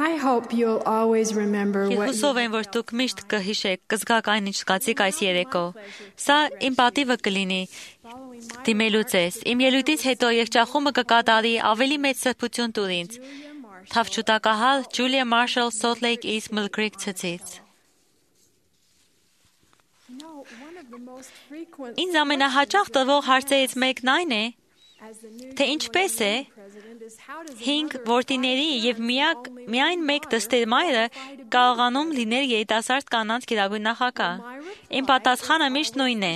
I hope you'll always remember Ես what հուսով եմ, որ դուք միշտ կհիշեք, կզգաք այն, ինչ զգացիք այս երեկո։ Սա իմ պատիվը կլինի դիմելու ձեզ։ Իմ ելույթից հետո եղջախումը կկատարի ավելի մեծ սրբություն տուր ինձ։ Թավջութակահալ Ջուլիա Մարշալ Salt Lake East Mill Creek ցցից։ Ինձ ամենահաճախ տվող հարցերից մեկն այն է, թե ինչպես է 5 որդիների եւ միայն մեկ դստերմայրը կարողանում լինել երիտասարդ կանանց գերագույն նախագահ։ Իմ պատասխանը միշտ նույնն է։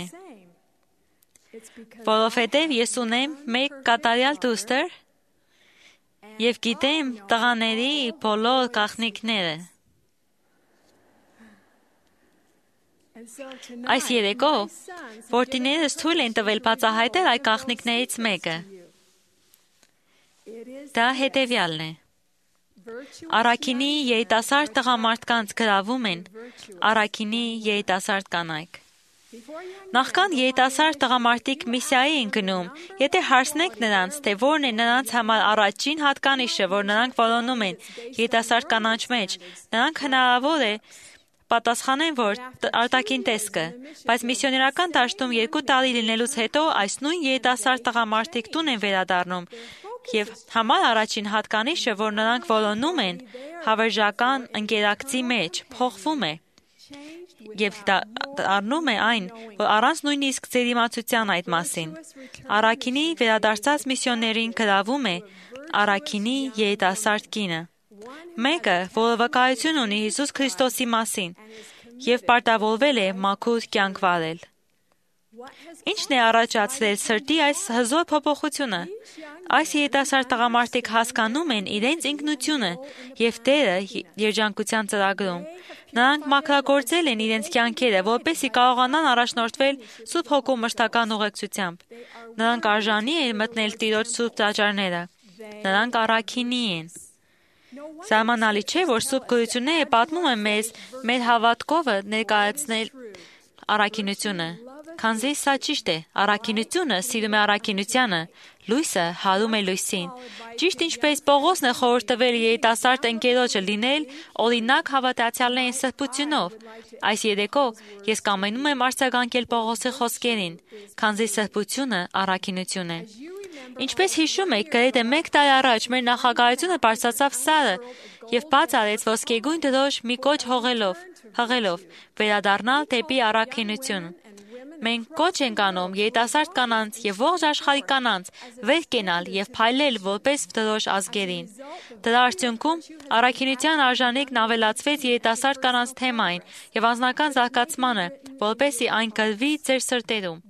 Որովհետեւ ես ունեմ մեկ կատարյալ դուստր եւ գիտեմ տղաների բոլոր գաղտնիքները։ Այս երեկո որդիներս թույլ են տվել բացահայտել այդ գաղտնիքներից մեկը։ Դա հետևյալն է։ Առաքինի երիտասարդ տղամարդկանց գրավում են առաքինի երիտասարդ կանայք։ Նախքան երիտասարդ տղամարդիկ միսիայի են գնում, եթե հարցնենք նրանց, թե որն է նրանց համար առաջին հատկանիշը, որ նրանք որոնում են երիտասարդ կանանց մեջ, նրանք հնարավոր է պատասխանեն, որ արտաքին տեսքը, բայց միսիոներական դաշտում 2 տարի լինելուց հետո այս նույն երիտասարդ տղամարդիկ տուն են վերադառնում եւ համար առաջին հատկանիշը, որ նրանք որոնում են հավերժական ընկերակցի մեջ, փոխվում է եւ դառնում է այն, որ առանց նույնիսկ ծերիմացության այդ մասին։ Առաքինի վերադարձած միսիոներին գրավում է առաքինի երիտասարդ կինը։ Մեկը, որը վկայություն ունի Հիսուս Քրիստոսի մասին եւ պարտավորվել է մաքուր կյանք վարել։ Ինչն է առաջացրել սրտի այս հզոր փոփոխությունը։ Այս երիտասարդ տղամարդիկ հասկանում են իրենց ինքնությունը եւ Տերը երջանկության ծրագրում։ Նրանք մաքրագործել են իրենց կյանքերը, որպեսզի կարողանան առաջնորդվել Սուրբ Հոգու մշտական ուղեկցությամբ։ Նրանք արժանի են մտնել Տիրոջ սուրբ տաճարները։ Նրանք առաքինի են։ Զարմանալի չէ, որ Սուրբ Գրությունները պատմում են մեզ մեր հավատքովը ներկայացնել առաքինությունը։ Քանզի սա ճիշտ է, առաքինությունը սիրում է առաքինությանը, լույսը հարում է լույսին։ Ճիշտ ինչպես Պողոսն է խորհուրդ տվել երիտասարդ ընկերոջը լինել օրինակ հավատացյալներին սրբությունով։ Այս երեկո ես կամենում եմ արձագանքել Պողոսի խոսքերին, քանզի սրբությունը առաքինություն է։ Ինչպես հիշում եք, գրեթե 1 տարի առաջ մեր նախագահությունը բարձրացավ սարը եւ բաց արեց ոսկեգույն դրոշ մի կոչ հղելով վերադառնալ դեպի առաքինություն։ Մենք կոչ ենք անում երիտասարդ կանանց եւ ողջ աշխարհի կանանց վեր կենալ եւ փայլել որպես դրոշ ազգերին։ Դրա արդյունքում առաքինության արժանիքն ավելացվեց երիտասարդ կանանց թեմային եւ անձնական զարգացմանը, որպեսզի այն գրվի ձեր սրտերում։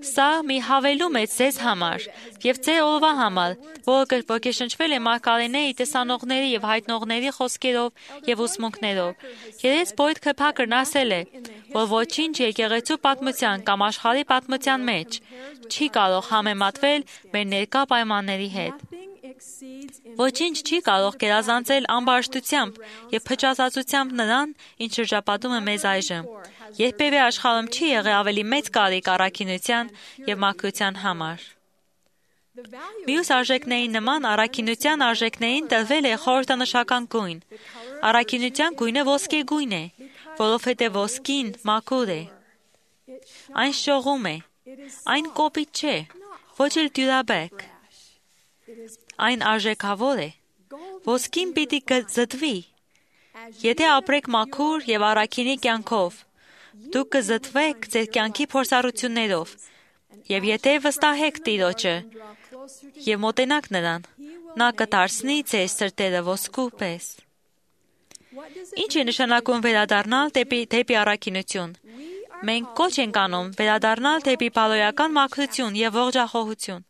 Սա մի հավելում է ձեզ համար եւ ձեր օրվա համար, որը ոգեշնչվել է մարգարեների, տեսանողների եւ հայտնողների խոսքերով եւ ուսմունքներով։ Երես Բոյդ Քեփակերն ասել է, որ ոչինչ եկեղեցու պատմության կամ աշխարհի պատմության մեջ չի կարող համեմատվել մեր ներկա պայմանների հետ։ Ոչինչ չի կարող գերազանցել ամբարշտությամբ եւ փչացածությամբ նրան, ինչ շրջապատում է մեզ այժմ։ Երբևէ աշխարհում չի եղել ավելի մեծ կարիք առաքինության եւ մաքրության համար։ Մյուս արժեքների նման առաքինության արժեքներին տրվել է խորհրդանշական գույն։ Առաքինության գույնը ոսկե գույն է, որովհետեւ ոսկին մաքուր է։ Այն շողում է, այն կոպիտ չէ, ոչ էլ դյուրաբեկ։ Այն արժեքավոր է։ Ոսկին պիտի զտվի։ Եթե ապրեք մաքուր եւ առաքինի կյանքով, դուք կզտվեք ձեր կյանքի փորձառություններով, եւ եթե վստահեք Տիրոջը եւ մոտենաք նրան, նա կդարձնի ձեր սրտերը ոսկու պես։ Ինչ է նշանակում վերադառնալ դեպի առաքինություն։ Մենք կոչ ենք անում վերադառնալ դեպի բարոյական մաքրություն եւ ողջախոհություն։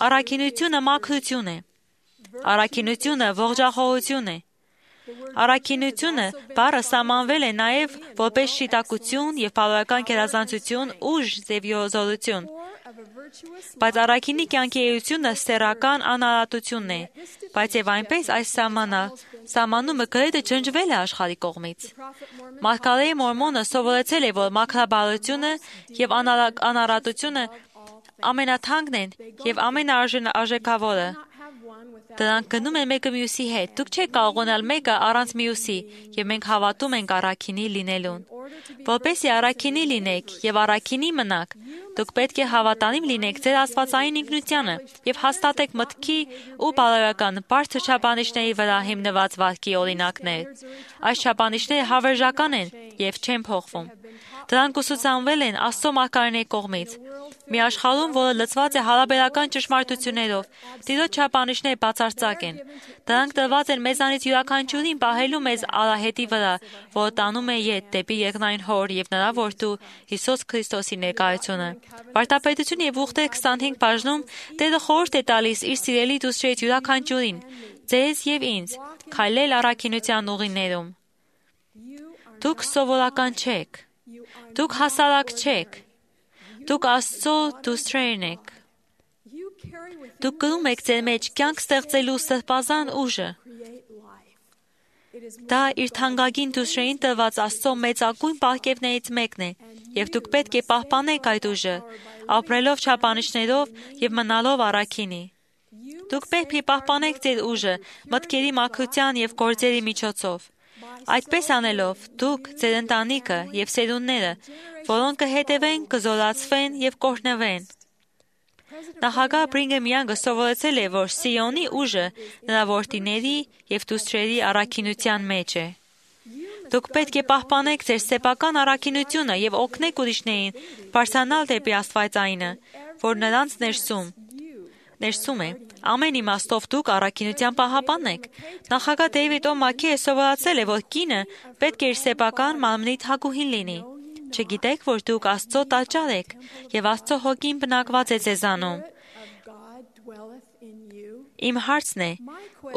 Առաքինությունը մաքրություն է։ Առաքինությունը ողջախոհություն է։ Առաքինությունը բառը սահմանվել է նաև որպես շիտակություն եւ բարոյական գերազանցություն, ուժ եւ յոզորություն։ Բայց առաքինի կյանքի էությունը սեռական անարատությունն է, բայց եւ այնպես այս սահմանումը գրեթե ջնջվել է աշխարհի կողմից։ Մարգարեի Մորմոնը սովորեցել է, որ մաքրաբարությունը եւ անարատությունը ամենաթանկն են եւ ամենարժեքավորը։ Դրանք գնում են մեկը մյուսի հետ։ Դուք չեք կարող ունենալ մեկը առանց մյուսի, եւ մենք հավատում ենք առաքինի լինելուն։ Որպեսզի առաքինի լինեք եւ առաքինի մնաք, դուք պետք է հավատալիմ լինեք ձեր աստվածային ինքնությանը եւ հաստատեք մտքի ու բարոյական բարձր չափանիշների վրա հիմնված վարքի օրինակներ։ Այս չափանիշները հավերժական են եւ չեն փոխվում։ Դրանք ուսուցանվել են Աստծո մարգարեների կողմից։ Մի աշխարհում, որը լցված է հարաբերական ճշմարտություններով, Տիրոջ չափանիշները բացարձակ են։ Դրանք տրված են մեզանից յուրաքանչյուրին պահելու մեզ արահետի վրա, որը տանում է ետ դեպի երկնային Հոր եւ նրա որդու Հիսուս Քրիստոսի ներկայությունը։ Վարդապետություն եւ ուխտեր 25 բաժնում Տերը խորհուրդ է տալիս իր սիրելի դուստրերից յուրաքանչյուրին, ձեզ եւ ինձ, քայլել առաքինության ուղիներում։ Դուք սովորական չեք։ Դուք հասարակ չեք։ Դուք Աստծո դուստրերն եք։ Դուք կրում եք ձեր մեջ կյանք ստեղծելու սրբազան ուժը։ Դա իր թանկագին դուստրերին տրված Աստծո մեծագույն պարգևներից մեկն է, եւ դուք պետք է պահպանեք այդ ուժը, ապրելով չափանիշներով եւ մնալով առաքինի։ Դուք պետք է պահպանեք ձեր ուժը մտքերի մաքրության եւ գործերի միջոցով։ Այդպես անելով, դուք, ձեր ընտանիքը եւ սերունդները, որոնք կհետևեն, կզորացվեն եւ կօրհնվեն։ Նախագահ Բրինգեմ Յանգը սովորեցել է, որ Սիոնի ուժը նրա որդիների եւ դուստրերի առաքինության մեջ է։ Դուք պետք է պահպանեք ձեր սեփական առաքինությունը եւ օգնեք ուրիշներին բարձրանալ դեպի Աստվածայինը, որ նրանց ներսում է։ Ամեն իմաստով դուք առաքինության պահապանն եք։ Նախագահ Դեյվիդ Օ. Մաքիը սովորացել է, որ կինը պետք է իր սեփական մարմնի թագուհին լինի։ Չգիտեք, որ դուք Աստծո տաճար եք, եւ Աստծո հոգին բնակված է ձեզանում։ Իմ հարցն է,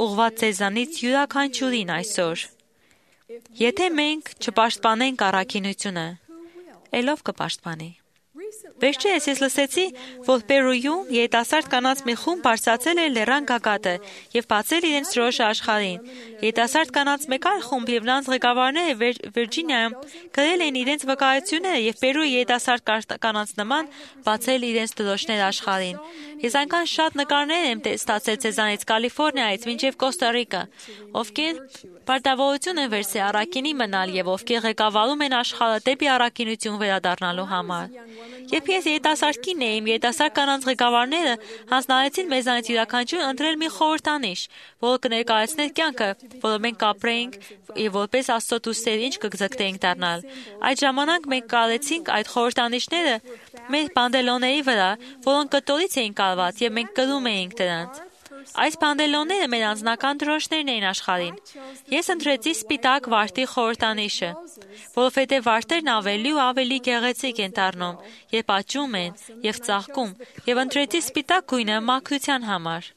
ուղղված ձեզանից յուրաքանչյուրին այսօր։ Եթե մենք չպաշտպանենք առաքինությունը, ելով կպաշտպանի։ Վերջերս ես լսեցի, որ Պերույում երիտասարդ կանանց մի խումբ բարձրացել էր լեռան գագաթը եւ բացել իրենց դրոշը աշխարհին։ Երիտասարդ կանանց մեկ այլ խումբ եւ նրանց ղեկավարները Վիրջինիայում գրել էին իրենց վկայությունները եւ Պերույի երիտասարդ կանանց նման բացել իրենց դրոշները աշխարհին։ Ես այնքան շատ նկարներ եմ ստացել ցեզանից Կալիֆոռնիայից մինչև Կոստա Ռիկա, ովքեր պարտավորություն են վերցրել առաքինի մնալ եւ ովքեր ղեկավարում են աշխարհը դեպի առաքինություն վերադառնալու համար։ Երբ ես երիտասարդ կին էի, երիտասարդ կանանց ղեկավարները հանձնարարեցին մեզանից յուրաքանչյուր ընտրել մի խորհրդանիշ, որը կներկայացներ կյանքը, որը մենք կապրեինք եւ որպես Աստծո դուստեր ինչ կձգտեինք դառնալ։ Այդ ժամանակ մենք կարեցինք այդ խորհրդանիշները մեր պանդելոնների վրա, որոնք կտորից էին կարված եւ մենք կրում էինք դրանց։ Այս պանդելոնները մեր անձնական դրոշներն էին աշխարհին։ Ես ընտրեցի սպիտակ վարդի խորհրդանիշը, որովհետև վարդերն ավելի ու ավելի գեղեցիկ են դառնում, երբ աճում են եւ ծաղկում, եւ ընտրեցի սպիտակ գույնը մաքրության համար։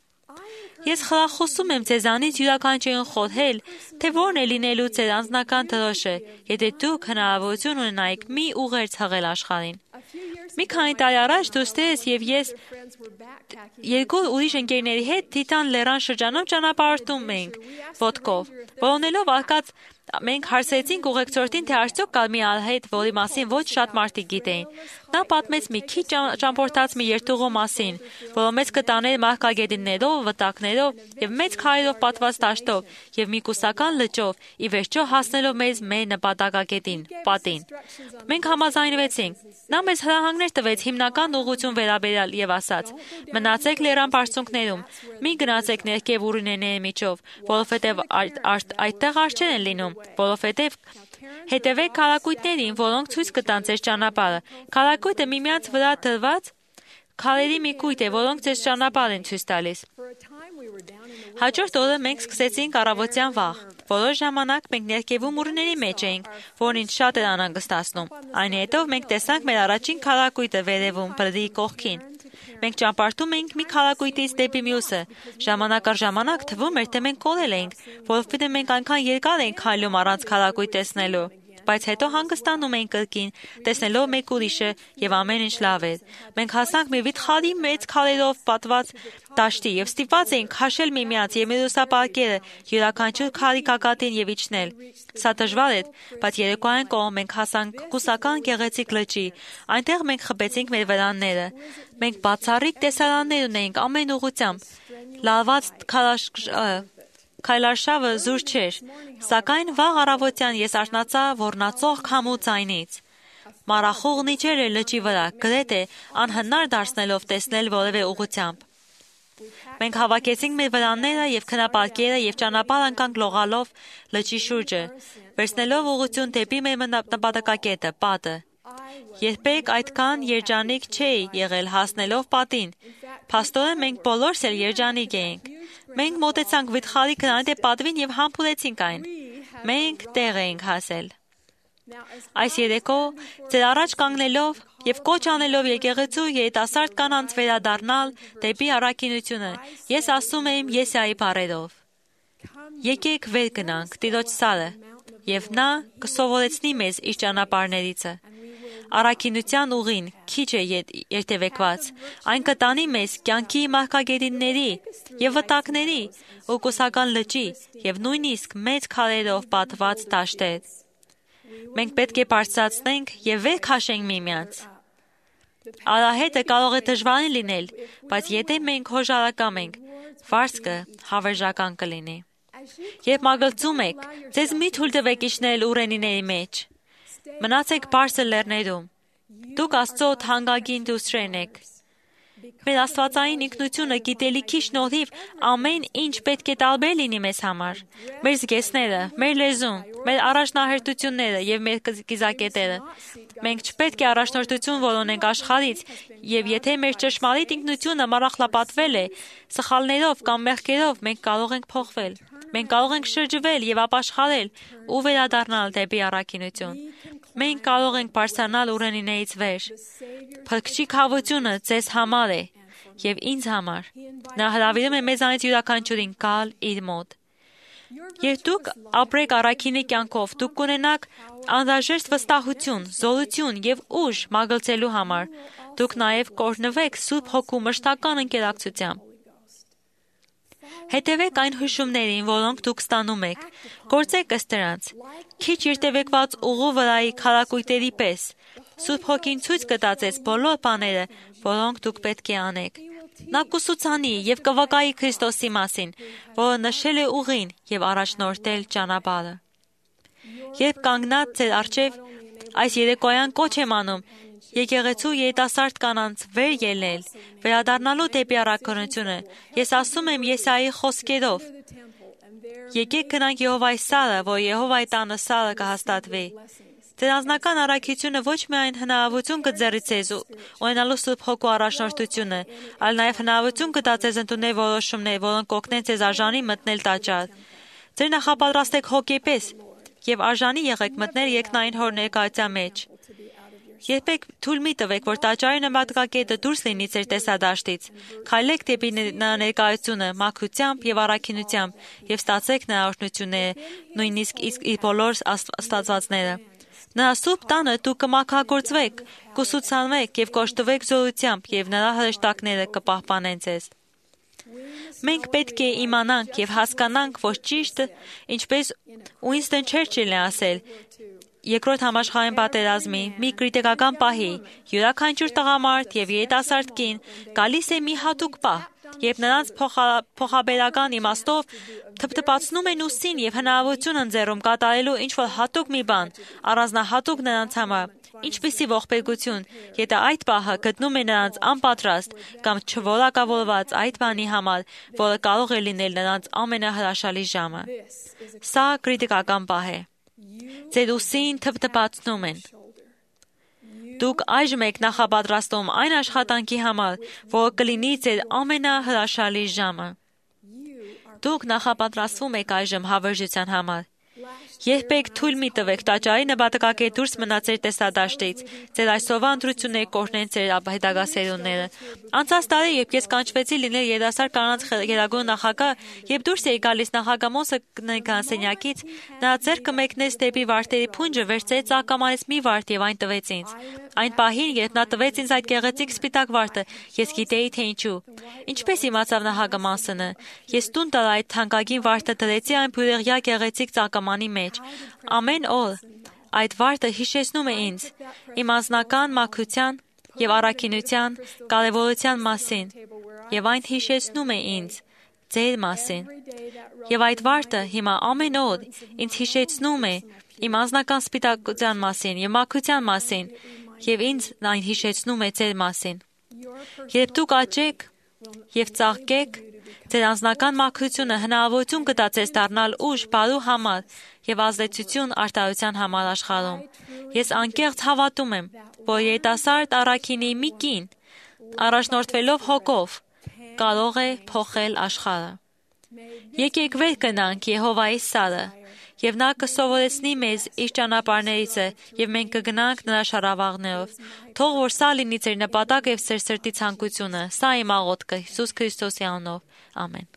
Ես խրախուսում եմ ձեզանից յուրաքանչյուրին խորհել, թե որն է լինելու ձեր անձնական դրոշը, եթե դուք հնարավորություն ունենայիք մի ուղերձ հղել աշխարհին։ Մի քանի տարի առաջ դուստերս եւ ես երկու ուրիշ ընկերների հետ Թիտան լեռան շրջանում ճանապարհորդում էինք ոտքով, որոնելով արկած մենք հարցրեցինք ուղեկցորդին, թե արդյոք կա մի արհետ, որի մասին ոչ շատ մարդիկ գիտեին։ Նա պատմեց մի քիչ ճամփորդած մի երթուղու մասին, որը մեծ կտաներ մարգագետիններով, վտակներով եւ մեծ քարերով պատված դաշտով եւ մի կուսական լճով, ի վերջո հասնելով մեզ մեր նպատակագետին, պատին։ Մենք համաձայնվեցինք։ Նա մեզ հրահանգներ տվեց հիմնական ուղղություն վերաբերյալ եւ ասաց. մնացեք լեռան բարձունքներում, մի գնացեք ներքև ուրինների միջով, որովհետեւ այդտեղ արջեր են լինում, որովհետեւ հետևեք քարակույտներին, որոնք ցույց կտան ձեր ճանապարհը։ Քարակույտը միմյանց վրա դրված քարերի մի կույտ է, որոնք ձեզ ճանապարհ են ցույց տալիս։ Հաջորդ օրը մենք սկսեցինք առավոտյան վաղ։ Որոշ ժամանակ մենք ներքևում ուրների մեջ էինք, որն ինձ շատ էր անհանգստացնում։ Այնուհետև մենք տեսանք մեր առաջին քարակույտը վերևում, բրդի կողքին։ Մենք ճամփորդում էինք մի քարակույտից դեպի մյուսը։ Ժամանակ առ ժամանակ թվում էր, թե մենք կորել էինք, որովհետև մենք այնքան երկար էինք քայլում առանց քարակույտ տեսնելու։ բայց հետո հանգստանում էինք կրկին, տեսնելով մեկ ուրիշը եւ ամեն ինչ լավ էր։ Մենք հասանք մի վիթխարի մեծ քարերով պատված դաշտի եւ ստիպված էինք քաշել միմյանց եւ մյուսապարկերը յուրաքանչյուր քարի գագաթին եւ իջնել։ Սա դժվար էր, բայց երեկոյան կողմ մենք հասանք կուսական գեղեցիկ լճի։ Այնտեղ մենք խփեցինք մեր վրանները։ Մենք բացառիկ տեսարաններ ունեինք ամեն ուղղությամբ։ Լալված քայլարշավը զուր չէր, սակայն վաղ առավոտյան ես արթնացա ոռնացող քամու ձայնից։ Մարախուղն իջեր էր լճի վրա, գրեթե անհնար դարձնելով տեսնել որևէ ուղղությամբ։ Մենք հավաքեցինք մեր վրանները եւ քնապարկերը եւ ճանապարհ անցանք լողալով լճի շուրջը, վերցնելով ուղղություն դեպի մեր նպատակակետը՝ պատը։ Երբեք այդքան երջանիկ չէի եղել հասնելով պատին։ Փաստորեն մենք բոլորս էլ երջանիկ էինք։ Մենք մոտեցանք վիթխարի գրանիտե պատվին եւ համբուրեցինք այն։ Մենք տեղ էինք հասել։ Այս երեկո ձեր առաջ կանգնելով եւ կոչ անելով եկեղեցու երիտասարդ կանանց վերադառնալ դեպի առաքինությունը, ես ասում եմ Եսայի բառերով. Եկեք վեր գնանք Տիրոջ սարը, եւ նա կսովորեցնի մեզ իր ճանապարհներիցը։ Առաքինության ուղին քիչ է երթևեկված, այն կտանի մեզ կյանքի մարգագետինների եւ վտակների ու կուսական լճի եւ նույնիսկ մեծ քարերով պատված դաշտեր։ Մենք պետք է բարձրացնենք եւ վեր քաշենք միմյանց։ Արահետը կարող է դժվարին լինել, բայց եթե մենք հոժարակամ ենք, վարձքը հավերժական կլինի։ Երբ մագլցում եք, ձեզ մի թույլ տվեք իջնել ուռենիների մեջ։ Մնացեք բարձր լեռներում։ Դուք Աստծո թանկագին դուստրերն եք։ Մեր աստվածային ինքնությունը գիտելիքի շնորհիվ ամեն ինչ պետք է տարբեր լինի մեզ համար։ Մեր զգեստները, մեր լեզուն, մեր առաջնահերթությունները եւ մեր կիզակետերը։ Մենք չպետք է առաջնորդություն որոնենք աշխարհից, եւ եթե մեր ճշմարիտ ինքնությունը մառախլապատվել է սխալներով կամ մեղքերով, մենք կարող ենք փոխվել։ Մենք կարող ենք շրջվել եւ ապաշխարել ու վերադառնալ դեպի առաքինություն։ Մենք կարող ենք բարձրանալ ուռենիներից վեր։ Փրկչի քավությունը ձեզ համար է եւ ինձ համար։ Նա հրավիրում է մեզանից յուրաքանչյուրին գալ իր մոտ։ Երբ դուք ապրեք առաքինի կյանքով, դուք կունենաք անհրաժեշտ վստահություն, զորություն եւ ուժ մագլցելու համար։ Դուք նաեւ կօրհնվեք Սուրբ Հոգու մշտական ընկերակցությամբ։ Հետևեք այն հուշումներին, որոնք դուք ստանում եք։ Գործեք ըստ դրանց։ Քիչ երթևեկված ուղու վրայի քարակույտերի պես։ Սուրբ Հոգին ցույց կտա ձեզ բոլոր բաները, որոնք դուք պետք է անեք։ Նա կուսուցանի եւ կվկայի Քրիստոսի մասին, որը նշել է ուղին եւ առաջնորդել ճանապարհը։ Երբ կանգնած ձեր առջև այս երեկոյան կոչ եմ անում, եկեղեցու երիտասարդ կանանց վեր ելնել, վերադառնալու դեպի առաքինությունը, ես ասում եմ Եսայի խոսքերով. Եկեք գնանք Եհովայի սարը, որ Եհովայի տանը սարը կհաստատվի։ Ձեր անձնական առաքինությունը ոչ միայն հնարավորություն կձեռի ձեզ ունենալու Սուրբ Հոգու առաջնորդությունը, այլ նաև հնարավորություն կտա ձեզ ընդունել որոշումներ, որոնք կօգնեն ձեզ արժանի մտնել տաճար։ Ձեր նախապատրաստեք հոգեպես եւ արժանի եղեք մտնել երկնային Հոր ներկայության մեջ։ Երբեք թույլ մի տվեք, որ տաճարի նպատակակետը դուրս լինի ձեր տեսադաշտից։ Քայլեք դեպի նրա ներկայությունը մաքրությամբ եւ առաքինությամբ եւ ստացեք նրա օրհնությունները, նույնիսկ իր բոլոր ստացվածները։ Նրա սուրբ տանը դուք կմաքրագործվեք, կուսուցանվեք եւ կօժտվեք զորությամբ եւ նրա հրեշտակները կպահպանեն ձեզ։ Մենք պետք է իմանանք եւ հասկանանք, որ ճիշտը, ինչպես Ուինստոն Չերչիլն է ասել, Երկրորդ համաշխարհային պատերազմի մի կրիտիկական պահի յուրաքանչյուր տղամարդ եւ երիտասարդ կին գալիս է մի հատուկ պահ, երբ նրանց փոխաբերական իմաստով թփթփացնում են ուսին եւ հնարավորություն ընձեռում կատարելու ինչ-որ հատուկ մի բան, առանձնահատուկ նրանց համար, ինչպիսի ողբերգություն, եթե այդ պահը գտնում է նրանց անպատրաստ կամ չորակավորված այդ բանի համար, որը կարող է լինել նրանց ամենահրաշալի ժամը։ Սա կրիտիկական պահ է։ Ձեր ուսին թփթփացնում են։ Դուք այժմ եք նախապատրաստում այն աշխատանքի համար, որը կլինի ձեր ամենահրաշալի ժամը։ Դուք նախապատրաստվում եք այժմ հավերժության համար։ Երբեք թույլ մի տվեք տաճարի նպատակակետ դուրս մնաց ձեր տեսադաշտից, ձեր այսօրվա ընտրությունները կօրհնեն ձեր հետագա սերունդները։ Անցած տարի, երբ ես կանչվեցի լինել երիտասարդ կանանց գերագույն նախագահ, երբ դուրս էի գալիս նախագահ գրասենյակից, նա ձեռքը մեկնեց դեպի վարդերի փունջը, վերցրեց ակամարից մի վարդ եւ այն տվեց ինձ։ Այն պահին, երբ նա տվեց ինձ այդ գեղեցիկ սպիտակ վարդը, ես գիտեի, թե ինչու։ Ինչպես իմացավ նախագահ, ես տուն տալ այդ թանկագին վարդը դրեցի այն բյուրեղյա գեղեցիկ ծակամանի մեջ։ Ամեն օր այդ վարդը հիշեցնում է ինձ իմ անձնական մաքրության եւ առաքինության կարեւորության մասին, եւ այն հիշեցնում է ինձ ձեր մասին։ Եվ այդ վարդը հիմա ամեն օր ինձ հիշեցնում է իմ անձնական սպիտակության մասին եւ մաքրության մասին, եւ ինձ այն հիշեցնում է ձեր մասին։ Երբ դուք աճեք եւ ծաղկեք, ձեր անձնական մաքրությունը հնարավորություն կտա ձեզ դառնալ ուժ բարու համար եւ ազդեցություն արտահայտության համար աշխարհում։ Ես անկեղծ հավատում եմ, որ երիտասարդ առաքինի մի կին, առաջնորդվելով հոգով, կարող է փոխել աշխարհը։ Եկեք վեր գնանք Եհովայի սարը, եւ նա կսովորեցնի մեզ իր ճանապարհներիցը, եւ մենք կգնանք նրա շարավաղներով։ Թող որ սա լինի ձեր նպատակ եւ ձեր սրտի ցանկությունը։ Սա իմ աղոթքը Հիսուս Քրիստոսի անունով։ Ամեն։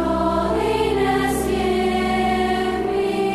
Holiness, give me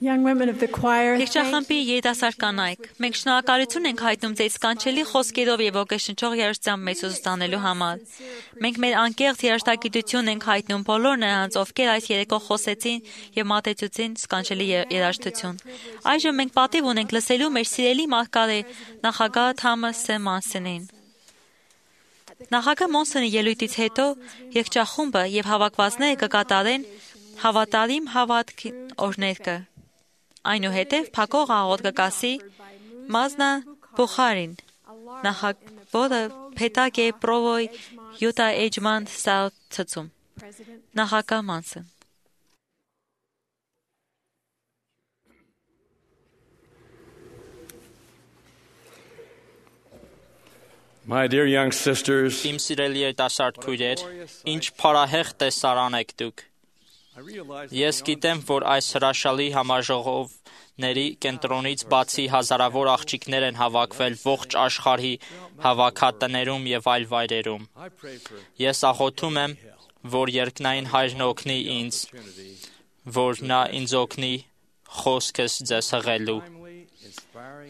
Young women of the choir, Եղջախմբի երիտասարդ կանայք, մենք շնորհակալություն ենք հայտնում ձեզ սքանչելի խոսքերով եւ ոգեշնչող երաժշտությամբ մեծ ուսուցանելու համար։ Մենք մեր անկեղծ երաժշտագիտություն ենք հայտնում բոլոր նրանց, ովքեր այս երեկո խոսեցին եւ մատեցուցին սքանչելի երաժշտություն։ Այժմ մենք պատիվ ունենք լսելու մեր սիրելի մարգարե նախագահ Թամաս Սեմանսենին։ Նախագահ Մոնսոնի ելույթից հետո եղջախումբը եւ հավաքվածները կկատարեն հավատարիմ հավատք օրհներգը։ Այնուհետև փակող աղոթք կկասի Մազնա Բուխարին, որը փետակ է պրովոյ Յուտա Էջման սաուցում։ Նախագահ Մանսոն։ My dear young sisters, Իմ սիրելի երիտասարդ քույրեր, ինչ փառահեղ տեսարան եք դուք։ Ես գիտեմ, որ այս հրաշալի համաժողովների կենտրոնից բացի հազարավոր աղջիկներ են հավաքվել ողջ աշխարհի հավաքատներում եւ այլ վայրերում։ Ես աղոթում եմ, որ երկնային Հայրն օգնի ինձ, որ նա ինձ օգնի խոսքս ձեզ հղելու։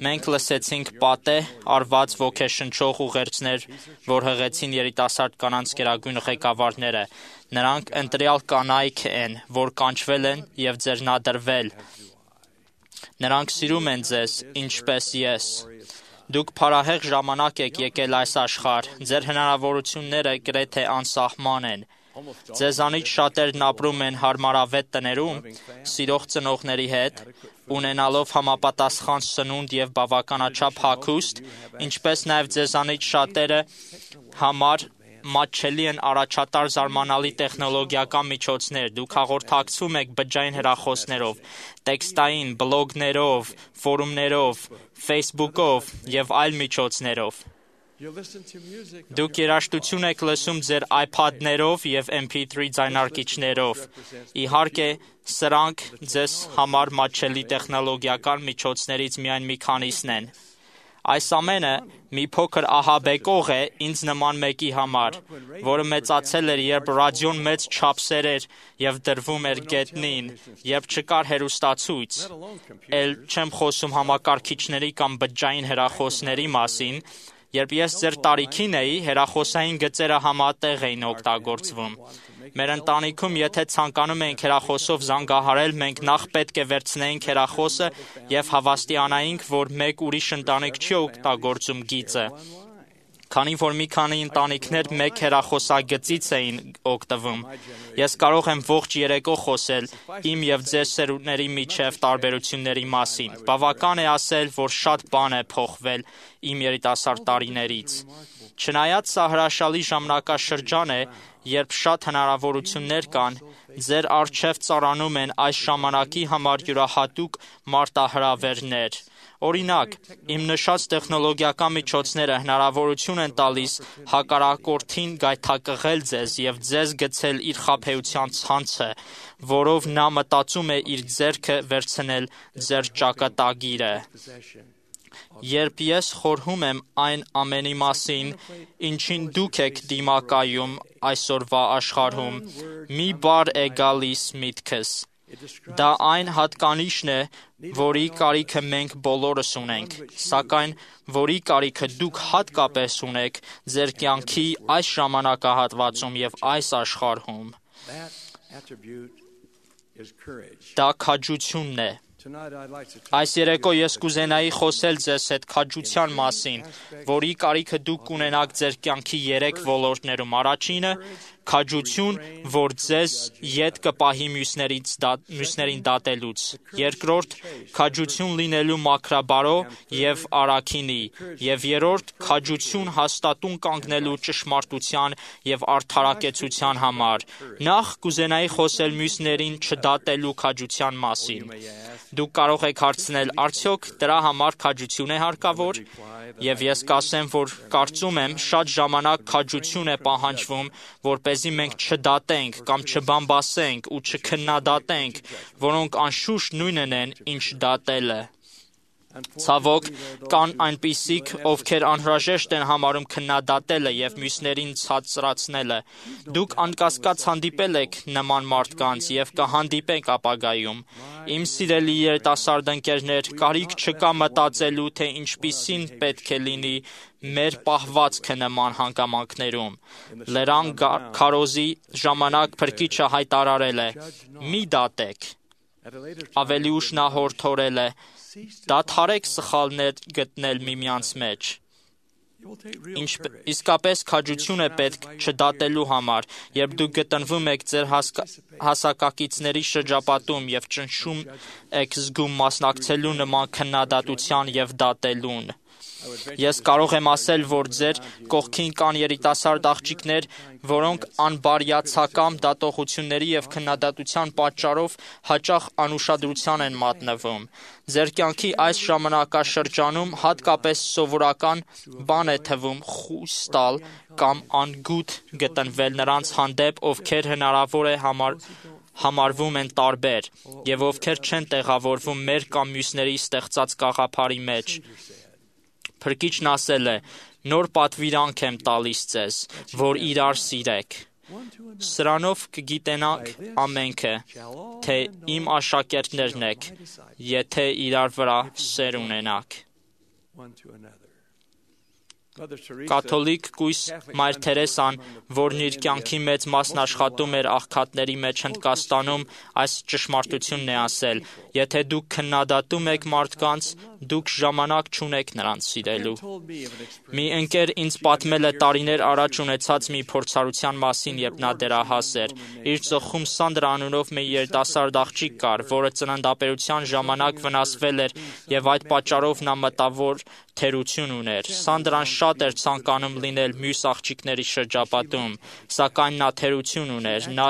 Մենք լսեցինք պատե արված ոգեշնչող ուղերձներ, որ հղեցին երիտասարդ կանանց գերագույն ղեկավարները։ Նրանք ընտրյալ կանայք են, որ կանչվել են եւ ձեռնադրվել։ Նրանք սիրում են ձեզ, ինչպես ես։ Դուք փառահեղ ժամանակ եք եկել այս աշխարհ, ձեր հնարավորությունները գրեթե անսահման են։ Ձեզանից շատերն ապրում են հարմարավետ տներում, սիրող ծնողների հետ, ունենալով համապատասխան սնունդ եւ բավականաչափ հագուստ, ինչպես նաեւ ձեզանից շատերը համար մատչելի են առաջատար զարմանալի տեխնոլոգիական միջոցներ։ Դուք հաղորդակցվում եք բջջային հեռախոսներով, տեքստային, բլոգներով, ֆորումներով, Facebook-ով եւ այլ միջոցներով։ Դուք երաժշտություն եք լսում ձեր iPad-ներով եւ MP3 ձայնարկիչներով։ Իհարկե, սրանք ձեզ համար մատչելի տեխնոլոգիական միջոցներից միայն մի քանիսն են։ Այս ամենը մի փոքր ահաբեկող է ինձ նման մեկի համար, որը մեծացել էր, երբ ռադիոն մեծ չափսեր էր եւ դրվում էր գետնին, երբ չկար հեռուստացույց։ Էլ չեմ խոսում համակարգիչների կամ բջջային հեռախոսների մասին, երբ ես ձեր տարիքին էի, հեռախոսային գծերը համատեղ էին օգտագործվում։ Մեր ընտանիքում, եթե ցանկանում էինք հեռախոսով զանգահարել, մենք նախ պետք է վերցնեինք հեռախոսը եւ հավաստիանայինք, որ մեկ ուրիշ ընտանիք չի օգտագործում գիծը։ Քանի որ մի քանի ընտանիքներ մեկ հեռախոսագծից էին օգտվում, ես կարող եմ ողջ երեկո խոսել իմ եւ ձեր սերունդների միջև տարբերությունների մասին։ Բավական է ասել, որ շատ բան է փոխվել իմ երիտասարդ տարիներից։ Չնայած սա հրաշալի ժամանակաշրջան է, երբ շատ հնարավորություններ կան, ձեր առջև ծառանում են այս ժամանակի համար յուրահատուկ մարտահրավերներ։ Օրինակ, իմ նշած տեխնոլոգիական միջոցները հնարավորություն են տալիս հակառակորդին գայթակղել ձեզ եւ ձեզ գցել իր խաբեության ցանցը, որով նա մտածում է իր ձեռքը վերցնել ձեր ճակատագիրը։ Երբ ես խորհում եմ այն ամենի մասին, ինչին դուք եք դիմակայում այսօրվա աշխարհում, մի բառ է գալիս միտքս։ Դա այն հատկանիշն է, որի կարիքը մենք բոլորս ունենք, սակայն որի կարիքը դուք հատկապես ունեք ձեր կյանքի այս ժամանակահատվածում եւ այս աշխարհում։ Դա քաջությունն է։ Այս երեկո ես կուզենայի խոսել ձեզ հետ քաջության մասին, որի կարիքը դուք կունենաք ձեր կյանքի 3 ոլորտներում։ Առաջինը քաջություն, որ ձեզ ետ կպահի մյուսներին դատելուց։ Երկրորդ քաջություն լինելու մաքրաբարո եւ առաքինի, եւ երրորդ քաջություն հաստատուն կանգնելու ճշմարտության եւ արդարակեցության համար։ Նախ կուզենայի խոսել մյուսներին չդատելու քաջության մասին։ Դուք կարող եք հարցնել, արդյոք դրա համար քաջություն է հարկավոր։ Եվ ես կասեմ, որ կարծում եմ շատ ժամանակ քաջություն է պահանջվում, որպեսզի մենք չդատենք կամ չբամբասենք ու չքննադատենք, որոնք անշուշտ նույնն են, ինչ դատելը։ Ցավոք, կան այնպիսիք, ովքեր անհրաժեշտ են համարում քննադատելը եւ մյուսներին ցածրացնելը։ Դուք անկասկած հանդիպել եք նման մարդկանց եւ կհանդիպեք ապագայում։ Իմ սիրելի երիտասարդ ընկերներ, կարիք չկա մտածելու, թե ինչպիսին պետք է լինի մեր պահվածքը նման հանգամանքներում։ Լեռան քարոզի ժամանակ Փրկիչը հայտարարել է. «Մի դատեք»։ Ավելի ուշ նա հորդորել է. «Դադարեք սխալներ գտնել միմյանց մեջ»։ Իսկապես քաջություն է պետք չդատելու համար, երբ դուք գտնվում եք ձեր հասակակիցների շրջապատում եւ ճնշում եք զգում մասնակցելու նման քննադատության եւ դատելուն։ Ես կարող եմ ասել, որ ձեր կողքին կան երիտասարդ աղջիկներ, որոնք անբարյացակամ դատողությունների եւ քննադատության պատճառով հաճախ անուշադրության են մատնվում։ Ձեր կյանքի այս ժամանակաշրջանում հատկապես սովորական բան է թվում խույս տալ կամ անգութ գտնվել նրանց հանդեպ, ովքեր հնարավոր է համարվում են տարբեր եւ ովքեր չեն տեղավորվում մեր կամ մյուսների ստեղծած գաղափարի մեջ։ Փրկիչն ասել է. «Նոր պատվիրանք եմ տալիս ձեզ, որ իրար սիրեք»։ Սրանով կգիտենանք ամենքը, թե իմ աշակերտներն եք, եթե իրար վրա սեր ունենաք։ Կաթոլիկ կույս Մայր Թերեսան, որն իր կյանքի մեծ մասն աշխատում էր աղքատների մեջ Հնդկաստանում, այս ճշմարտությունն է ասել. «Եթե դուք քննադատում եք մարդկանց, դուք ժամանակ չունեք նրանց սիրելու»։ Մի ընկեր ինձ պատմել է տարիներ առաջ ունեցած մի փորձառության մասին, երբ նա դեռահաս էր։ Իր ծխում Սանդրա անունով մի երիտասարդ աղջիկ կար, որը ծննդաբերության ժամանակ վնասվել էր եւ այդ պատճառով նա մտավոր թերություն ուներ։ Սանդրան շատ էր ցանկանում լինել մյուս աղջիկների շրջապատում, սակայն նա թերություն ուներ, նա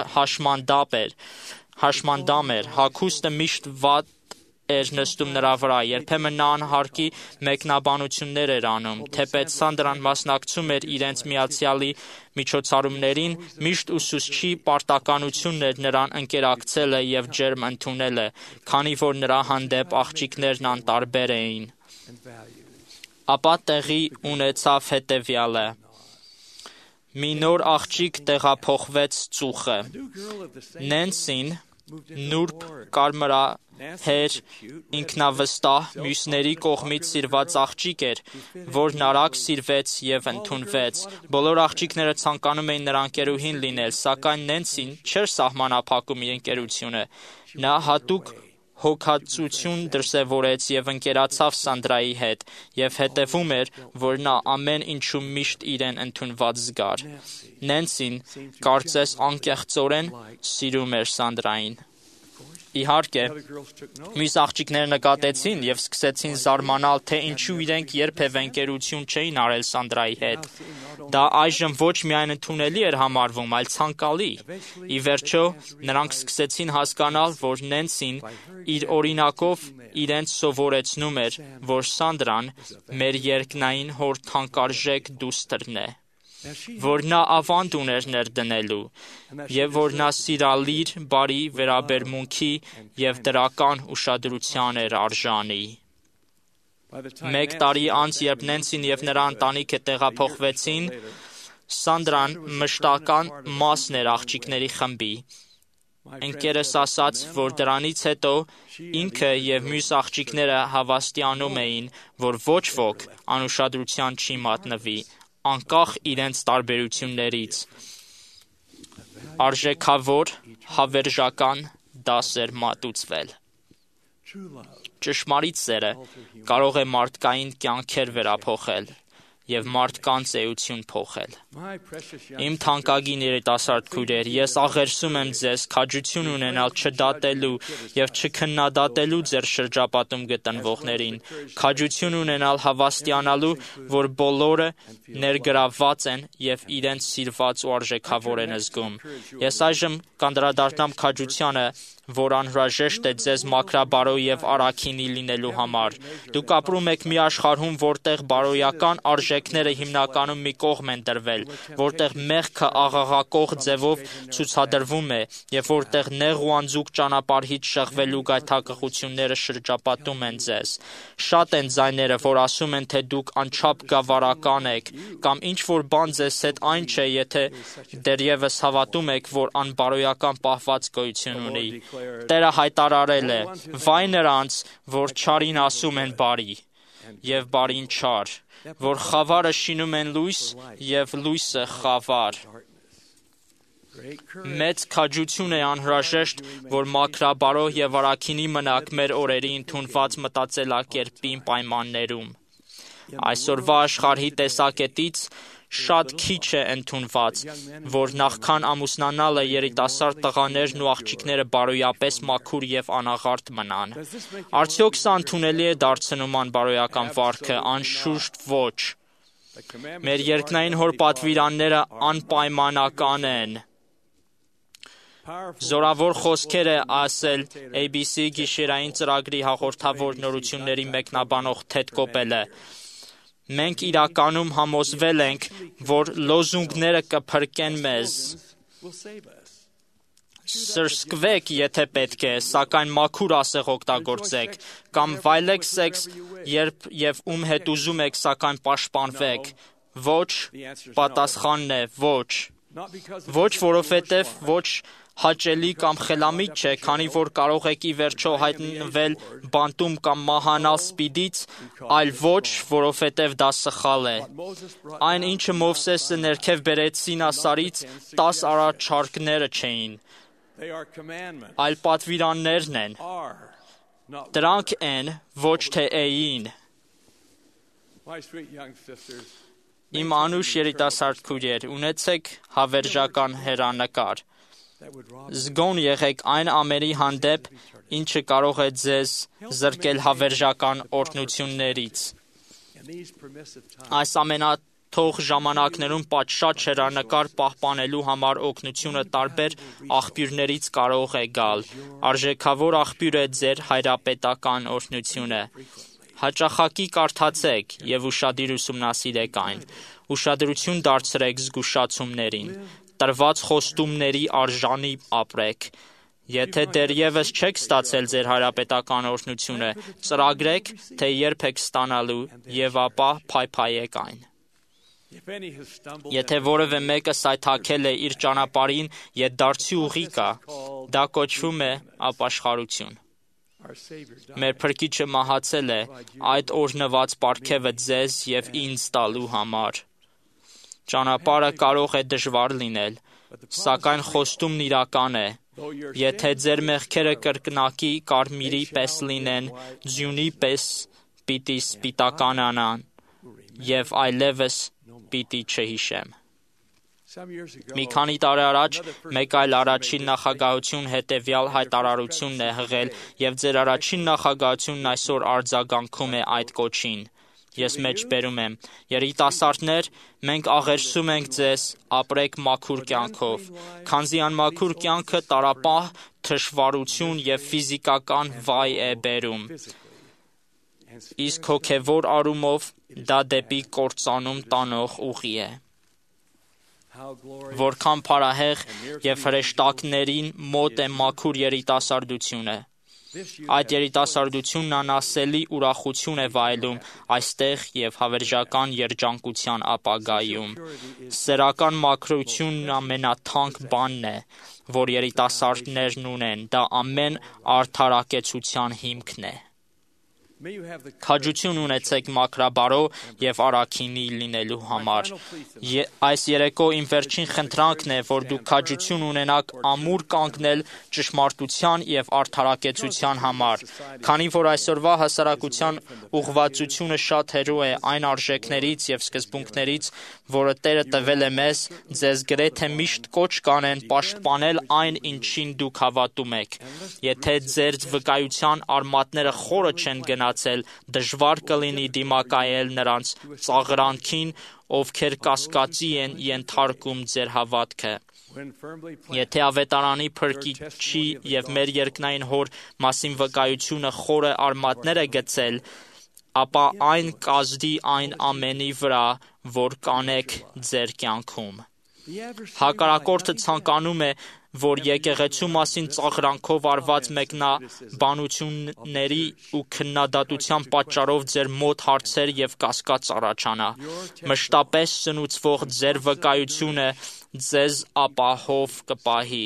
հաշմանդամ էր, հագուստը միշտ վատ էր նստում նրա վրա, երբեմն նա անհարկի մեկնաբանություններ էր անում, թեպետ Սանդրան մասնակցում էր իրենց միացյալի միջոցառումներին, միշտ ուսուցչի պարտականությունն էր նրան ընկերակցելը եւ ջերմ ընդունելը, քանի որ նրա հանդեպ աղջիկներն անտարբեր էին։ Ապա տեղի ունեցավ հետևյալը. մի նոր աղջիկ տեղափոխվեց ծուխը։ Նենսին, նուրբ, կարմրահեր, ինքնավստահ, մյուսների կողմից սիրված աղջիկ էր, որն արագ սիրվեց եւ ընդունվեց։ Բոլոր աղջիկները ցանկանում էին նրա ընկերուհին լինել, սակայն Նենսին չէր սահմանափակում իր ընկերությունը։ Նա հատուկ հոգացություն դրսևորեց եւ ընկերացավ Սանդրայի հետ եւ հետեւում էր, որ նա ամեն ինչում միշտ իրեն ընդունված զգար։ Նենսին, կարծես անկեղծորեն, սիրում էր Սանդրային։ Իհարկե, մյուս աղջիկները նկատեցին եւ սկսեցին զարմանալ, թե ինչու իրենք երբևէ ընկերություն չէին արել Սանդրայի հետ։ Դա այժմ ոչ միայն ընդունելի էր համարվում, այլ ցանկալի։ Ի վերջո, նրանք սկսեցին հասկանալ, որ Նենսին իր օրինակով իրենց սովորեցնում էր, որ Սանդրան մեր երկնային հոր թանկարժեք դուստրն է, որ նա ավանդ ուներ ներդնելու եւ որ նա սիրալիր, բարի վերաբերմունքի եւ դրական ուշադրության էր արժանի։ Մեկ տարի անց, երբ Նենսին եւ նրա ընտանիքը տեղափոխվեցին, Սանդրան մշտական մասն էր աղջիկների խմբի։ Ընկերս ասաց, որ դրանից հետո ինքը եւ մյուս աղջիկները հավաստիանում էին, որ ոչ ոք անուշադրության չի մատնվի, անկախ իրենց տարբերություններից։ Արժեքավոր, հավերժական դաս էր մատուցվել։ Ճշմարիտ սերը կարող է մարդկային կյանքեր վերափոխել եւ մարդկանց էություն փոխել։ Իմ թանկագին երիտասարդ քույրեր, ես աղերսում եմ ձեզ քաջություն ունենալ չդատելու եւ չքննադատելու ձեր շրջապատում գտնվողներին, քաջություն ունենալ հավաստիանալու, որ բոլորը ներգրավված են եւ իրենց սիրված ու արժեքավոր են զգում։ Ես այժմ կանդրադառնամ քաջությանը, որ անհրաժեշտ է ձեզ մաքրաբարոյ եւ առաքինի լինելու համար։ Դուք ապրում եք մի աշխարհում, որտեղ բարոյական արժեքներ արժեքները հիմնականում մի կողմ են դրվել, որտեղ մեղքը աղաղակող ձևով ցուցադրվում է եւ որտեղ նեղ ու անձուկ ճանապարհից շեղվելու գայթակղությունները շրջապատում են ձեզ։ Շատ են ձայները, որ ասում են, թե դուք անչափ գավառական եք, կամ ինչ որ բան ձեզ հետ այն չէ, եթե դեռևս հավատում եք, որ անբարոյական պահված գոյություն ունի։ Տերը հայտարարել է. «Վայ նրանց, որ չարին ասում են բարի, եւ բարին չար, որ խավարը շինում են լույս եւ լույսը խավար»։ Մեծ քաջություն է անհրաժեշտ, որ մաքրաբարո եւ առաքինի մնաք մեր օրերի ընդունված մտածելակերպի պայմաններում։ Այսօրվա աշխարհի տեսակետից շատ քիչ է ընդունված, որ նախքան ամուսնանալը երիտասարդ տղաներն ու աղջիկները բարոյապես մաքուր եւ անաղարտ մնան։ Արդյոք սա ընդունելի է դարձնում անբարոյական վարքը? Անշուշտ ոչ։ Մեր երկնային հոր պատվիրանները անպայմանական են։ Զորավոր խոսքեր է ասել ABC գիշերային ծրագրի հաղորդավոր նորությունների մեկնաբանող Թեդ Կոպելը։ Մենք իրականում համոզվել ենք, որ լոզունգները կփրկեն մեզ։ Սրսկվեք, եթե պետք է, սակայն մաքուր ասեղ օգտագործեք, կամ վայելեք սեքս, երբ եւ ում հետ ուզում եք, սակայն պաշտպանվեք։ Ոչ, պատասխանն է ոչ։ Ոչ, որովհետև ոչ հաճելի կամ խելամիտ չէ, քանի որ կարող եք ի վերջո հայտնվել բանտում կամ մահանալ սպիդից, այլ ոչ, որովհետև դա սխալ է։ Այն, ինչը Մովսեսը ներքև բերեց Սինասարից, 10 առաջարկները չէին, այլ պատվիրաններն են։ Դրանք են, ոչ թե էին։ Իմ անուշ երիտասարդ քույրեր, ունեցեք հավերժական հեռանկար։ Զգոն եղեք այն ամենի հանդեպ, ինչը կարող է ձեզ զրկել հավերժական օրհնություններից։ Այս ամենաթող ժամանակներում պատշաճ հեռանկար պահպանելու համար օգնությունը տարբեր աղբյուրներից կարող է գալ։ Արժեքավոր աղբյուր է ձեր հայրապետական օրհնությունը։ Հաճախակի կարդացեք եւ ուշադիր ուսումնասիրեք այն։ Ուշադրություն դարձրեք զգուշացումներին։ Տրված խոստումների արժանի ապրեք։ Եթե դեռևս չեք ստացել ձեր հայրապետական օրհնությունը, ծրագրեք, թե երբ եք ստանալու եւ ապա փայփայեք այն։ Եթե որևէ մեկը սայթաքել է իր ճանապարհին եւ դարձի ուղի կա, դա կոչվում է ապաշխարություն։ Մեր Փրկիչը մահացել է այդ օրհնված պարգևը ձեզ եւ ինձ տալու համար։ Ճանապարհը կարող է դժվար լինել, սակայն խոստումն իրական է։ Եթե ձեր մեղքերը կրկնակի կարմիրի պես լինեն, ձյունի պես պիտի սպիտականանան, եւ այլևս պիտի չհիշեմ։ Մի քանի տարի առաջ մեկ այլ առաջին նախագահություն հետևյալ հայտարարությունն է հղել, եւ ձեր առաջին նախագահությունն այսօր արձագանքում է այդ կոչին։ Ես մեջբերում եմ. երիտասարդներ, մենք աղերսում ենք ձեզ, ապրեք մաքուր կյանքով, քանզի անմաքուր կյանքը տարապահ, թշվառություն եւ ֆիզիկական վայ է բերում։ Իսկ հոգեվոր առումով դա դեպի կործանում տանող ուղի է։ Որքան փարահեղ եւ հրեշտակներին մոտ է մաքուր երիտասարդությունը։ Այդ երիտասարդությունն անասելի ուրախություն է վայելում այստեղ եւ հավերժական երջանկության ապագայում։ Սերական մաքրությունն ամենաթանկ բանն է, որ երիտասարդներն ունեն, դա ամեն արդարակեցության հիմքն է։ Քաջություն ունեցեք մաքրաբարո եւ առաքինի լինելու համար։ Այս երեկո իմ վերջին խնդրանքն է, որ դուք քաջություն ունենաք ամուր կանգնել ճշմարտության եւ արդարակեցության համար, քանի որ այսօրվա հասարակության ուղղվածությունը շատ հեռու է այն արժեքներից եւ սկզբունքներից, որը Տերը տվել է մեզ, ձեզ գրեթե միշտ կոչ կանեն պաշտպանել այն, ինչին դուք հավատում եք։ Եթե ձեր վկայության արմատները խորը չեն գնացել, դժվար կլինի դիմակայել նրանց ծաղրանքին, ովքեր կասկածի են ենթարկում ձեր հավատքը։ Եթե ավետարանի Փրկիչի եւ մեր երկնային հոր մասին վկայությունը խորը արմատներ է գցել, ապա այն կազդի այն ամենի վրա, որ կանեք ձեր կյանքում։ Հակառակորդը ցանկանում է, որ եկեղեցու մասին ծաղրանքով արված մեկնաբանությունների ու քննադատության պատճառով ձեր մոտ հարցեր եւ կասկած առաջանա։ Մշտապես սնուցվող ձեր վկայությունը ձեզ ապահով կպահի։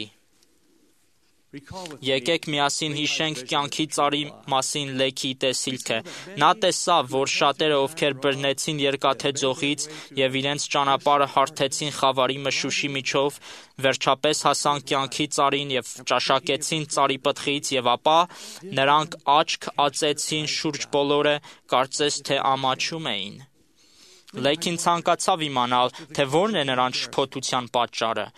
Եկեք միասին հիշենք կյանքի ծառի մասին Լեքի տեսիլքը։ Նա տեսավ, որ շատերը, ովքեր բռնեցին երկաթե ձողից եւ իրենց ճանապարհը հարթեցին խավարի մշուշի միջով, վերջապես հասան կյանքի ծառին եւ ճաշակեցին ծառի պտղից, եւ ապա նրանք աչք ածեցին շուրջ բոլորը, կարծես թե ամաչում էին։ Լեքին ցանկացավ իմանալ, թե որն է նրանց շփոթության պատճառը։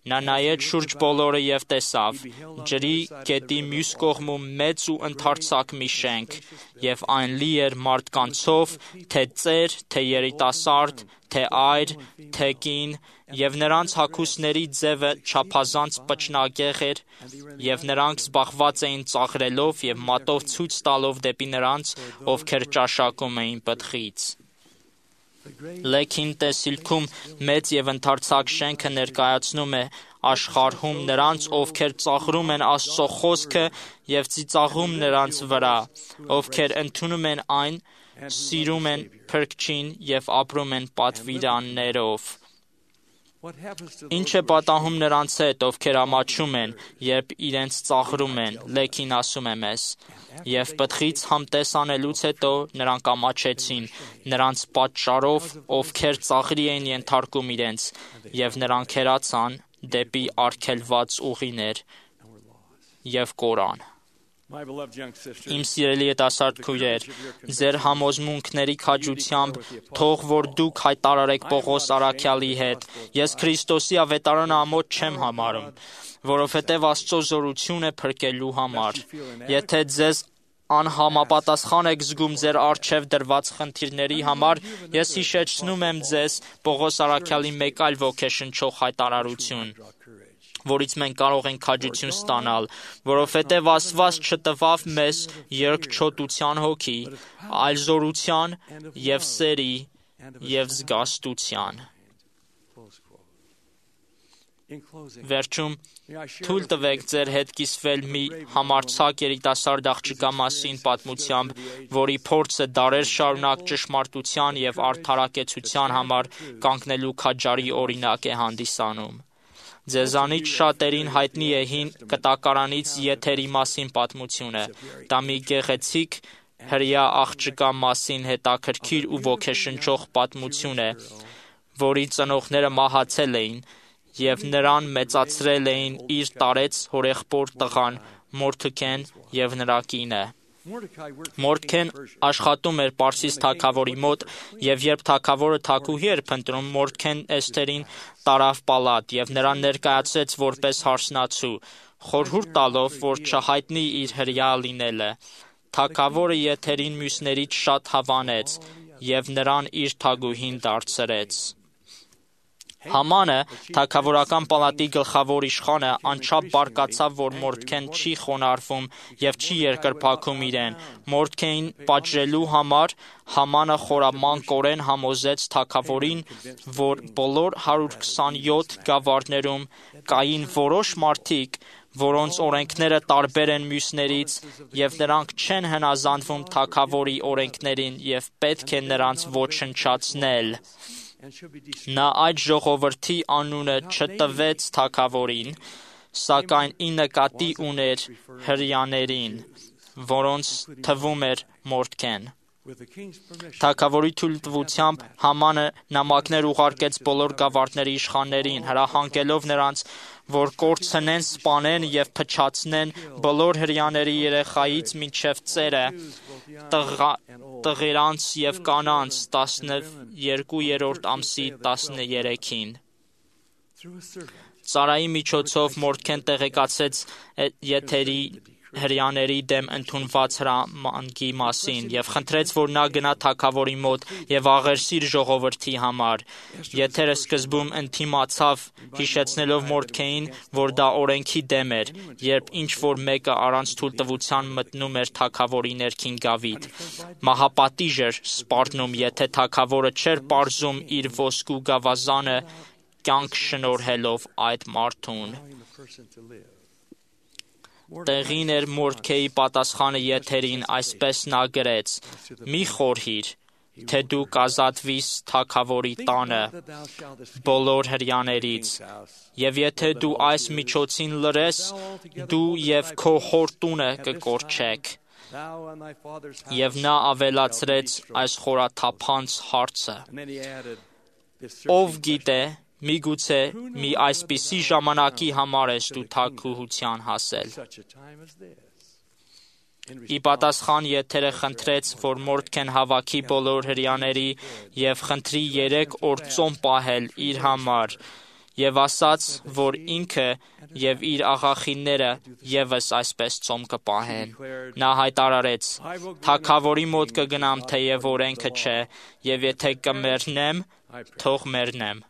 Նա նայեց շուրջ բոլորը եւ տեսավ ջրի գետի մյուս կողմում մեծ ու ընդարձակ մի շենք, եւ այն լի էր մարդկանցով, թե ծեր, թե երիտասարդ, թե այր, թե կին, եւ նրանց հագուստների ձևը չափազանց պճնագեղ էր, եւ նրանք զբաղված էին ծաղրելով եւ մատով ցույց տալով դեպի նրանց, ովքեր ճաշակում էին պտղից։ Լեքին տեսիլքում մեծ եւ ընդարձակ շենքը ներկայացնում է աշխարհում նրանց, ովքեր ծաղրում են Աստծո խոսքը եւ ծիծաղում նրանց վրա, ովքեր ընդունում են այն, սիրում են փրկչին եւ ապրում են պատվիրաններով։ Ինչ է պատահում նրանց հետ, ովքեր ամաչում են, երբ իրենց ծաղրում են, Լեքին ասում է մեզ, եւ պտղից համտես անելուց հետո նրանք ամաչեցին, նրանց պատճառով, ովքեր ծաղրի էին ենթարկում իրենց, եւ նրանք հեռացան դեպի արգելված ուղիներ եւ կորան։ Իմ սիրելի երիտասարդ քույրեր, ձեր համոզմունքների քաջությամբ թող որ դուք հայտարարեք Պողոս առաքյալի հետ. ես Քրիստոսի ավետարանը ամոթ չեմ համարում, որովհետև Աստծո զորություն է փրկելու համար։ Եթե ձեզ անհամապատասխան եք զգում ձեր առջև դրված խնդիրների համար, ես հիշեցնում եմ ձեզ Պողոս առաքյալի մեկ այլ ոգեշնչող հայտարարություն, որից մենք կարող ենք քաջություն ստանալ, որովհետև Աստված չտվավ մեզ երկչոտության հոգի, այլ զորության եւ սերի եւ զգաստության։ Վերջում թույլ տվեք ձեր հետ կիսվել մի համարձակ երիտասարդ աղջկա մասին պատմությամբ, որի փորձը դարեր շարունակ ճշմարտության եւ արդարակեցության համար կանգնելու քաջարի օրինակ է հանդիսանում։ Ձեզանից շատերին հայտնի է հին կտակարանից Եթերի մասին պատմությունը։ Դա մի գեղեցիկ հրեա աղջկա մասին հետաքրքիր ու ոգեշնչող պատմություն է, որի ծնողները մահացել էին եւ նրան մեծացրել էին իր տարեց հորեղբոր տղան Մորդեքեն եւ նրա կինը։ Մորդեքեն աշխատում էր Պարսից թագավորի մոտ, եւ երբ թագավորը թագուհի էր փնտրում, Մորդեքեն Էսթերին տարավ պալատ եւ նրան ներկայացրեց որպես հարսնացու, խորհուրդ տալով, որ չհայտնի իր հրեա լինելը։ Թագավորը Եթերին մյուսներից շատ հավանեց եւ նրան իր թագուհին դարձրեց։ Համանը, թագավորական պալատի գլխավոր իշխանը, անչափ բարկացավ, որ Մորդեքեն չի խոնարհվում եւ չի երկրպագում իրեն։ Մորդեքեին պատժելու համար Համանը խորամանկորեն համոզեց թագավորին, որ բոլոր 127 գավառներում կային որոշ մարդիկ, որոնց օրենքները տարբեր են մյուսներից, եւ նրանք չեն հնազանդվում թագավորի օրենքներին եւ պետք է նրանց ոչնչացնել։ Նա այդ ժողովրդի անունը չտվեց թագավորին, սակայն ի նկատի ուներ հրեաներին, որոնց թվում էր Մորդեքեն։ Թագավորի թույլտվությամբ Համանը նամակներ ուղարկեց բոլոր գավառների իշխաններին, հրահանգելով նրանց, որ կորցնեն, սպանեն եւ փչացնեն բոլոր հրեաների երեխայից մինչև ծերը, տղերանց եւ կանանց 12-րդ ամսի 13-ին։ Ծառայի միջոցով Մորդեքեն տեղեկացրեց Եթերի հրյաների դեմ ընդունված հրամանի մասին եւ խնդրեց, որ նա գնա թագավորի մոտ եւ աղերսի իր ժողովրդի համար։ Եթերը սկզբում ընդդիմացավ, հիշեցնելով Մորդեքային, որ դա օրենքի դեմ էր, երբ ինչ որ մեկը առանց թույլտվության մտնում էր թագավորի ներքին գավիթ։ Մահապատիժ էր սպառնում, եթե թագավորը չէր պարզում իր ոսկու գավազանը կյանք շնորհելով այդ մարդուն։ Տեղին էր Մորդեքայի պատասխանը եթերին, այսպես նա գրեց. «Մի խորհիր, թե դու կազատվիս թագավորի տանը բոլոր հրյաներից, եւ եթե դու այս միջոցին լրես, դու եւ քո հոր տունը կկորչեք»։ Եվ նա ավելացրեց այս խորաթափանց հարցը. «Ով գիտե, միգուցե մի այսպիսի ժամանակի համար ես դու թագուհության հասել»։ Ի պատասխան եթերը խնդրեց, որ Մորդեքեն հավաքի բոլոր հրյաների եւ խնդրի 3 օր ծոմ պահել իր համար, եւ ասաց, որ ինքը եւ իր աղախինները եւս այսպես ծոմ կպահեն։ Նա հայտարարեց. «Թագավորի մոտ կգնամ, թեև օրենքը չէ, եւ եթե կմեռնեմ, թող մեռնեմ»։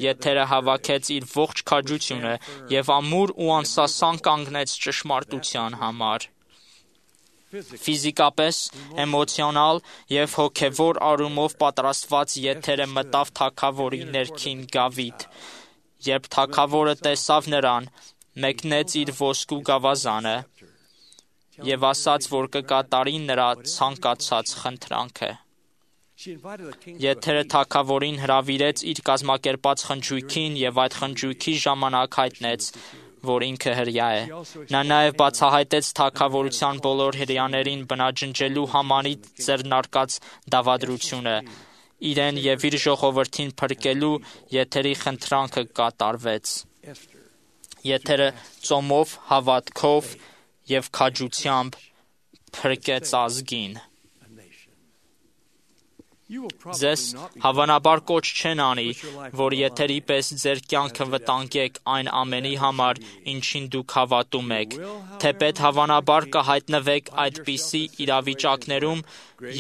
Եթերը հավաքեց իր ողջ քաջությունը եւ ամուր ու անսասան կանգնեց ճշմարտության համար։ Ֆիզիկապես, էմոցիոնալ եւ հոգեվոր առումով պատրաստված եթերը մտավ թագավորի ներքին գավիթ։ Երբ թագավորը տեսավ նրան, մեկնեց իր ոսկու գավազանը եւ ասաց, որ կկատարի նրա ցանկացած խնդրանքը։ Եթերը թագավորին հրավիրեց իր կազմակերպած խնջույքին եւ այդ խնջույքի ժամանակ հայտնեց, որ ինքը հրյա է։ Նա նաև բացահայտեց թագավորության բոլոր հրյաներին բնաջնջելու Համանի ձեռնարկած դավադրությունը, իրեն եւ իր ժողովրդին փրկելու եթերի խնդրանքը կատարվեց։ Եթերը ծոմով, հավատքով եւ քաջությամբ փրկեց ազգին։ Ձեզ հավանաբար կոչ չեն անի, որ եթերի պես ձեր կյանքը վտանգեք այն ամենի համար, ինչին դուք հավատում եք, թեպետ հավանաբար կհայտնվեք այդպիսի իրավիճակներում,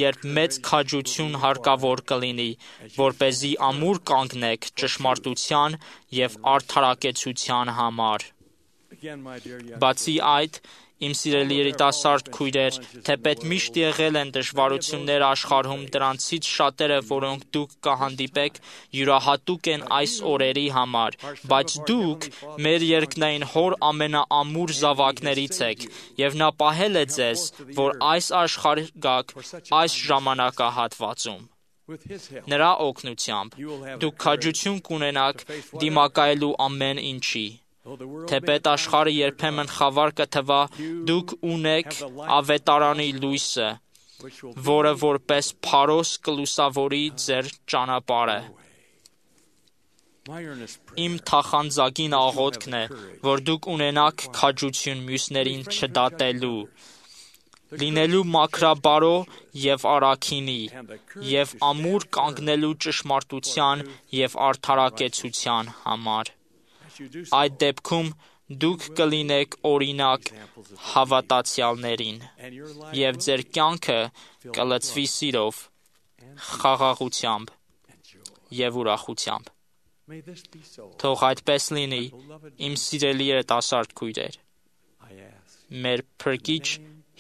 երբ մեծ քաջություն հարկավոր կլինի, որպեսզի ամուր կանգնեք ճշմարտության եւ արդարակեցության համար։ Բացի այդ, իմ սիրելի երիտասարդ քույրեր, թեպետ միշտ եղել են դժվարություններ աշխարհում, դրանցից շատերը, որոնք դուք կհանդիպեք, յուրահատուկ են այս օրերի համար, բայց դուք մեր երկնային Հոր ամենաամուր զավակներից եք, եւ նա պահել է ձեզ, որ այս աշխարհ գաք այս ժամանակահատվածում։ Նրա օգնությամբ դուք քաջություն կունենաք դիմակայելու ամեն ինչի։ Թեպետ աշխարհը երբեմն խավար կթվա, դուք ունեք ավետարանի լույսը, որը որպես փարոս կլուսավորի ձեր ճանապարհը։ Իմ թախանձագին աղոթքն է, որ դուք ունենաք քաջություն մյուսներին չդատելու, լինելու մաքրաբարո եւ առաքինի, եւ ամուր կանգնելու ճշմարտության եւ արդարակեցության համար։ Այդ դեպքում դուք կլինեք օրինակ հավատացյալներին, եւ ձեր կյանքը կլցվի սիրով, խաղաղությամբ եւ ուրախությամբ։ Թող այդպես լինի, իմ սիրելի երիտասարդ քույրեր, մեր Փրկիչ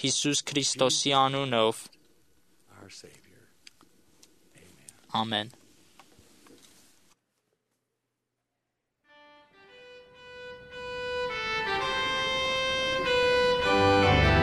Հիսուս Քրիստոսի անունով։ Ամեն։ Defending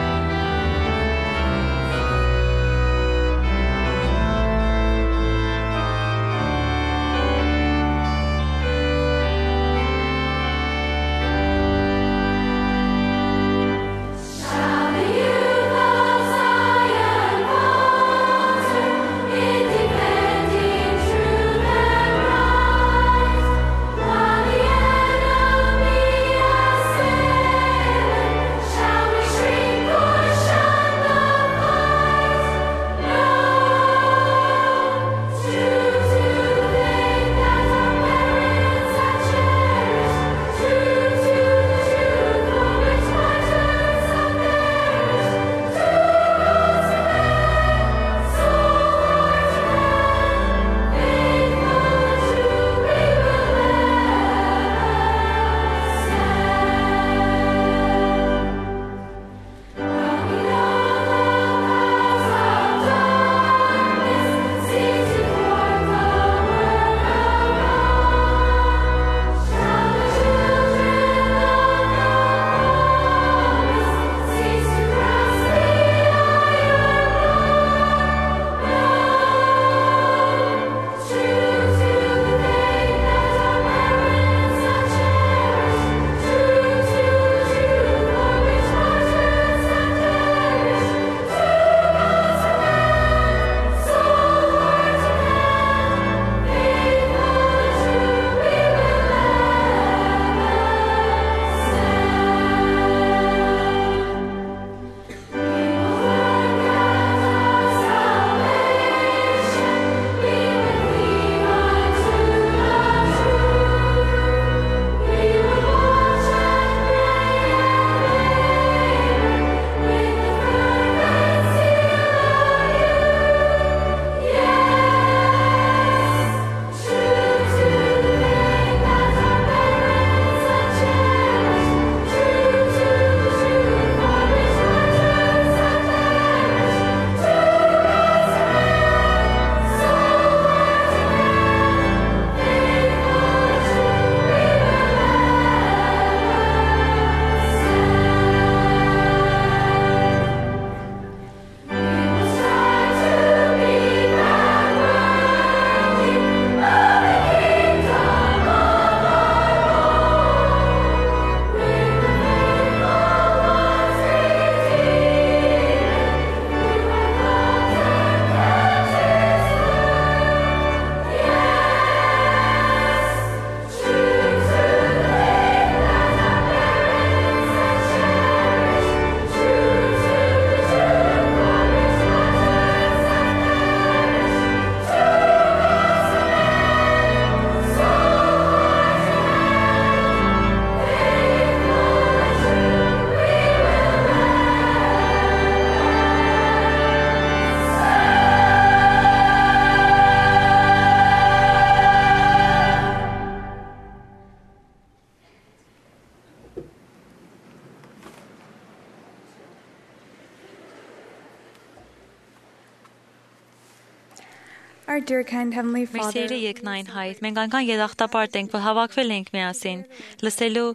Our dear kind Heavenly Մեր Father, սիրելի երկնային Հայր, մենք այնքան երախտապարտ ենք, որ հավաքվել ենք միասին, լսելու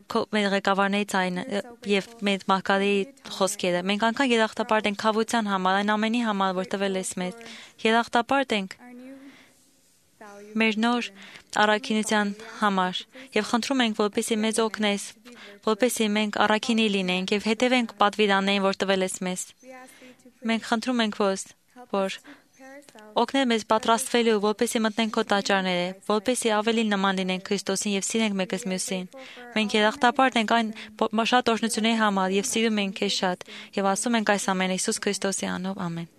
քո մեր ղեկավարների ձայնը եւ մեր մարգարեի խոսքերը։ Մենք այնքան երախտապարտ ենք խավության համար, այն ամենի համար, որ տվել ես մեզ։ Երախտապարտ ենք մեր նոր առաքինության համար եւ խնդրում ենք, որպեսզի մեզ օգնես, որպեսզի մենք առաքինի լինենք եւ հետևենք պատվիրաններին, որ տվել ես մեզ։ Մենք խնդրում ենք, որ օգնել մեզ պատրաստվելու, որպեսզի մտնենք քո տաճարները, որպեսզի ավելի նման լինենք Քրիստոսին եւ սիրենք մեկս մյուսին։ Մենք երախտապարտ ենք այն շատ օրհնությունների համար եւ սիրում ենք քեզ շատ եւ ասում ենք այս ամենը Հիսուս Քրիստոսի անունով, ամեն։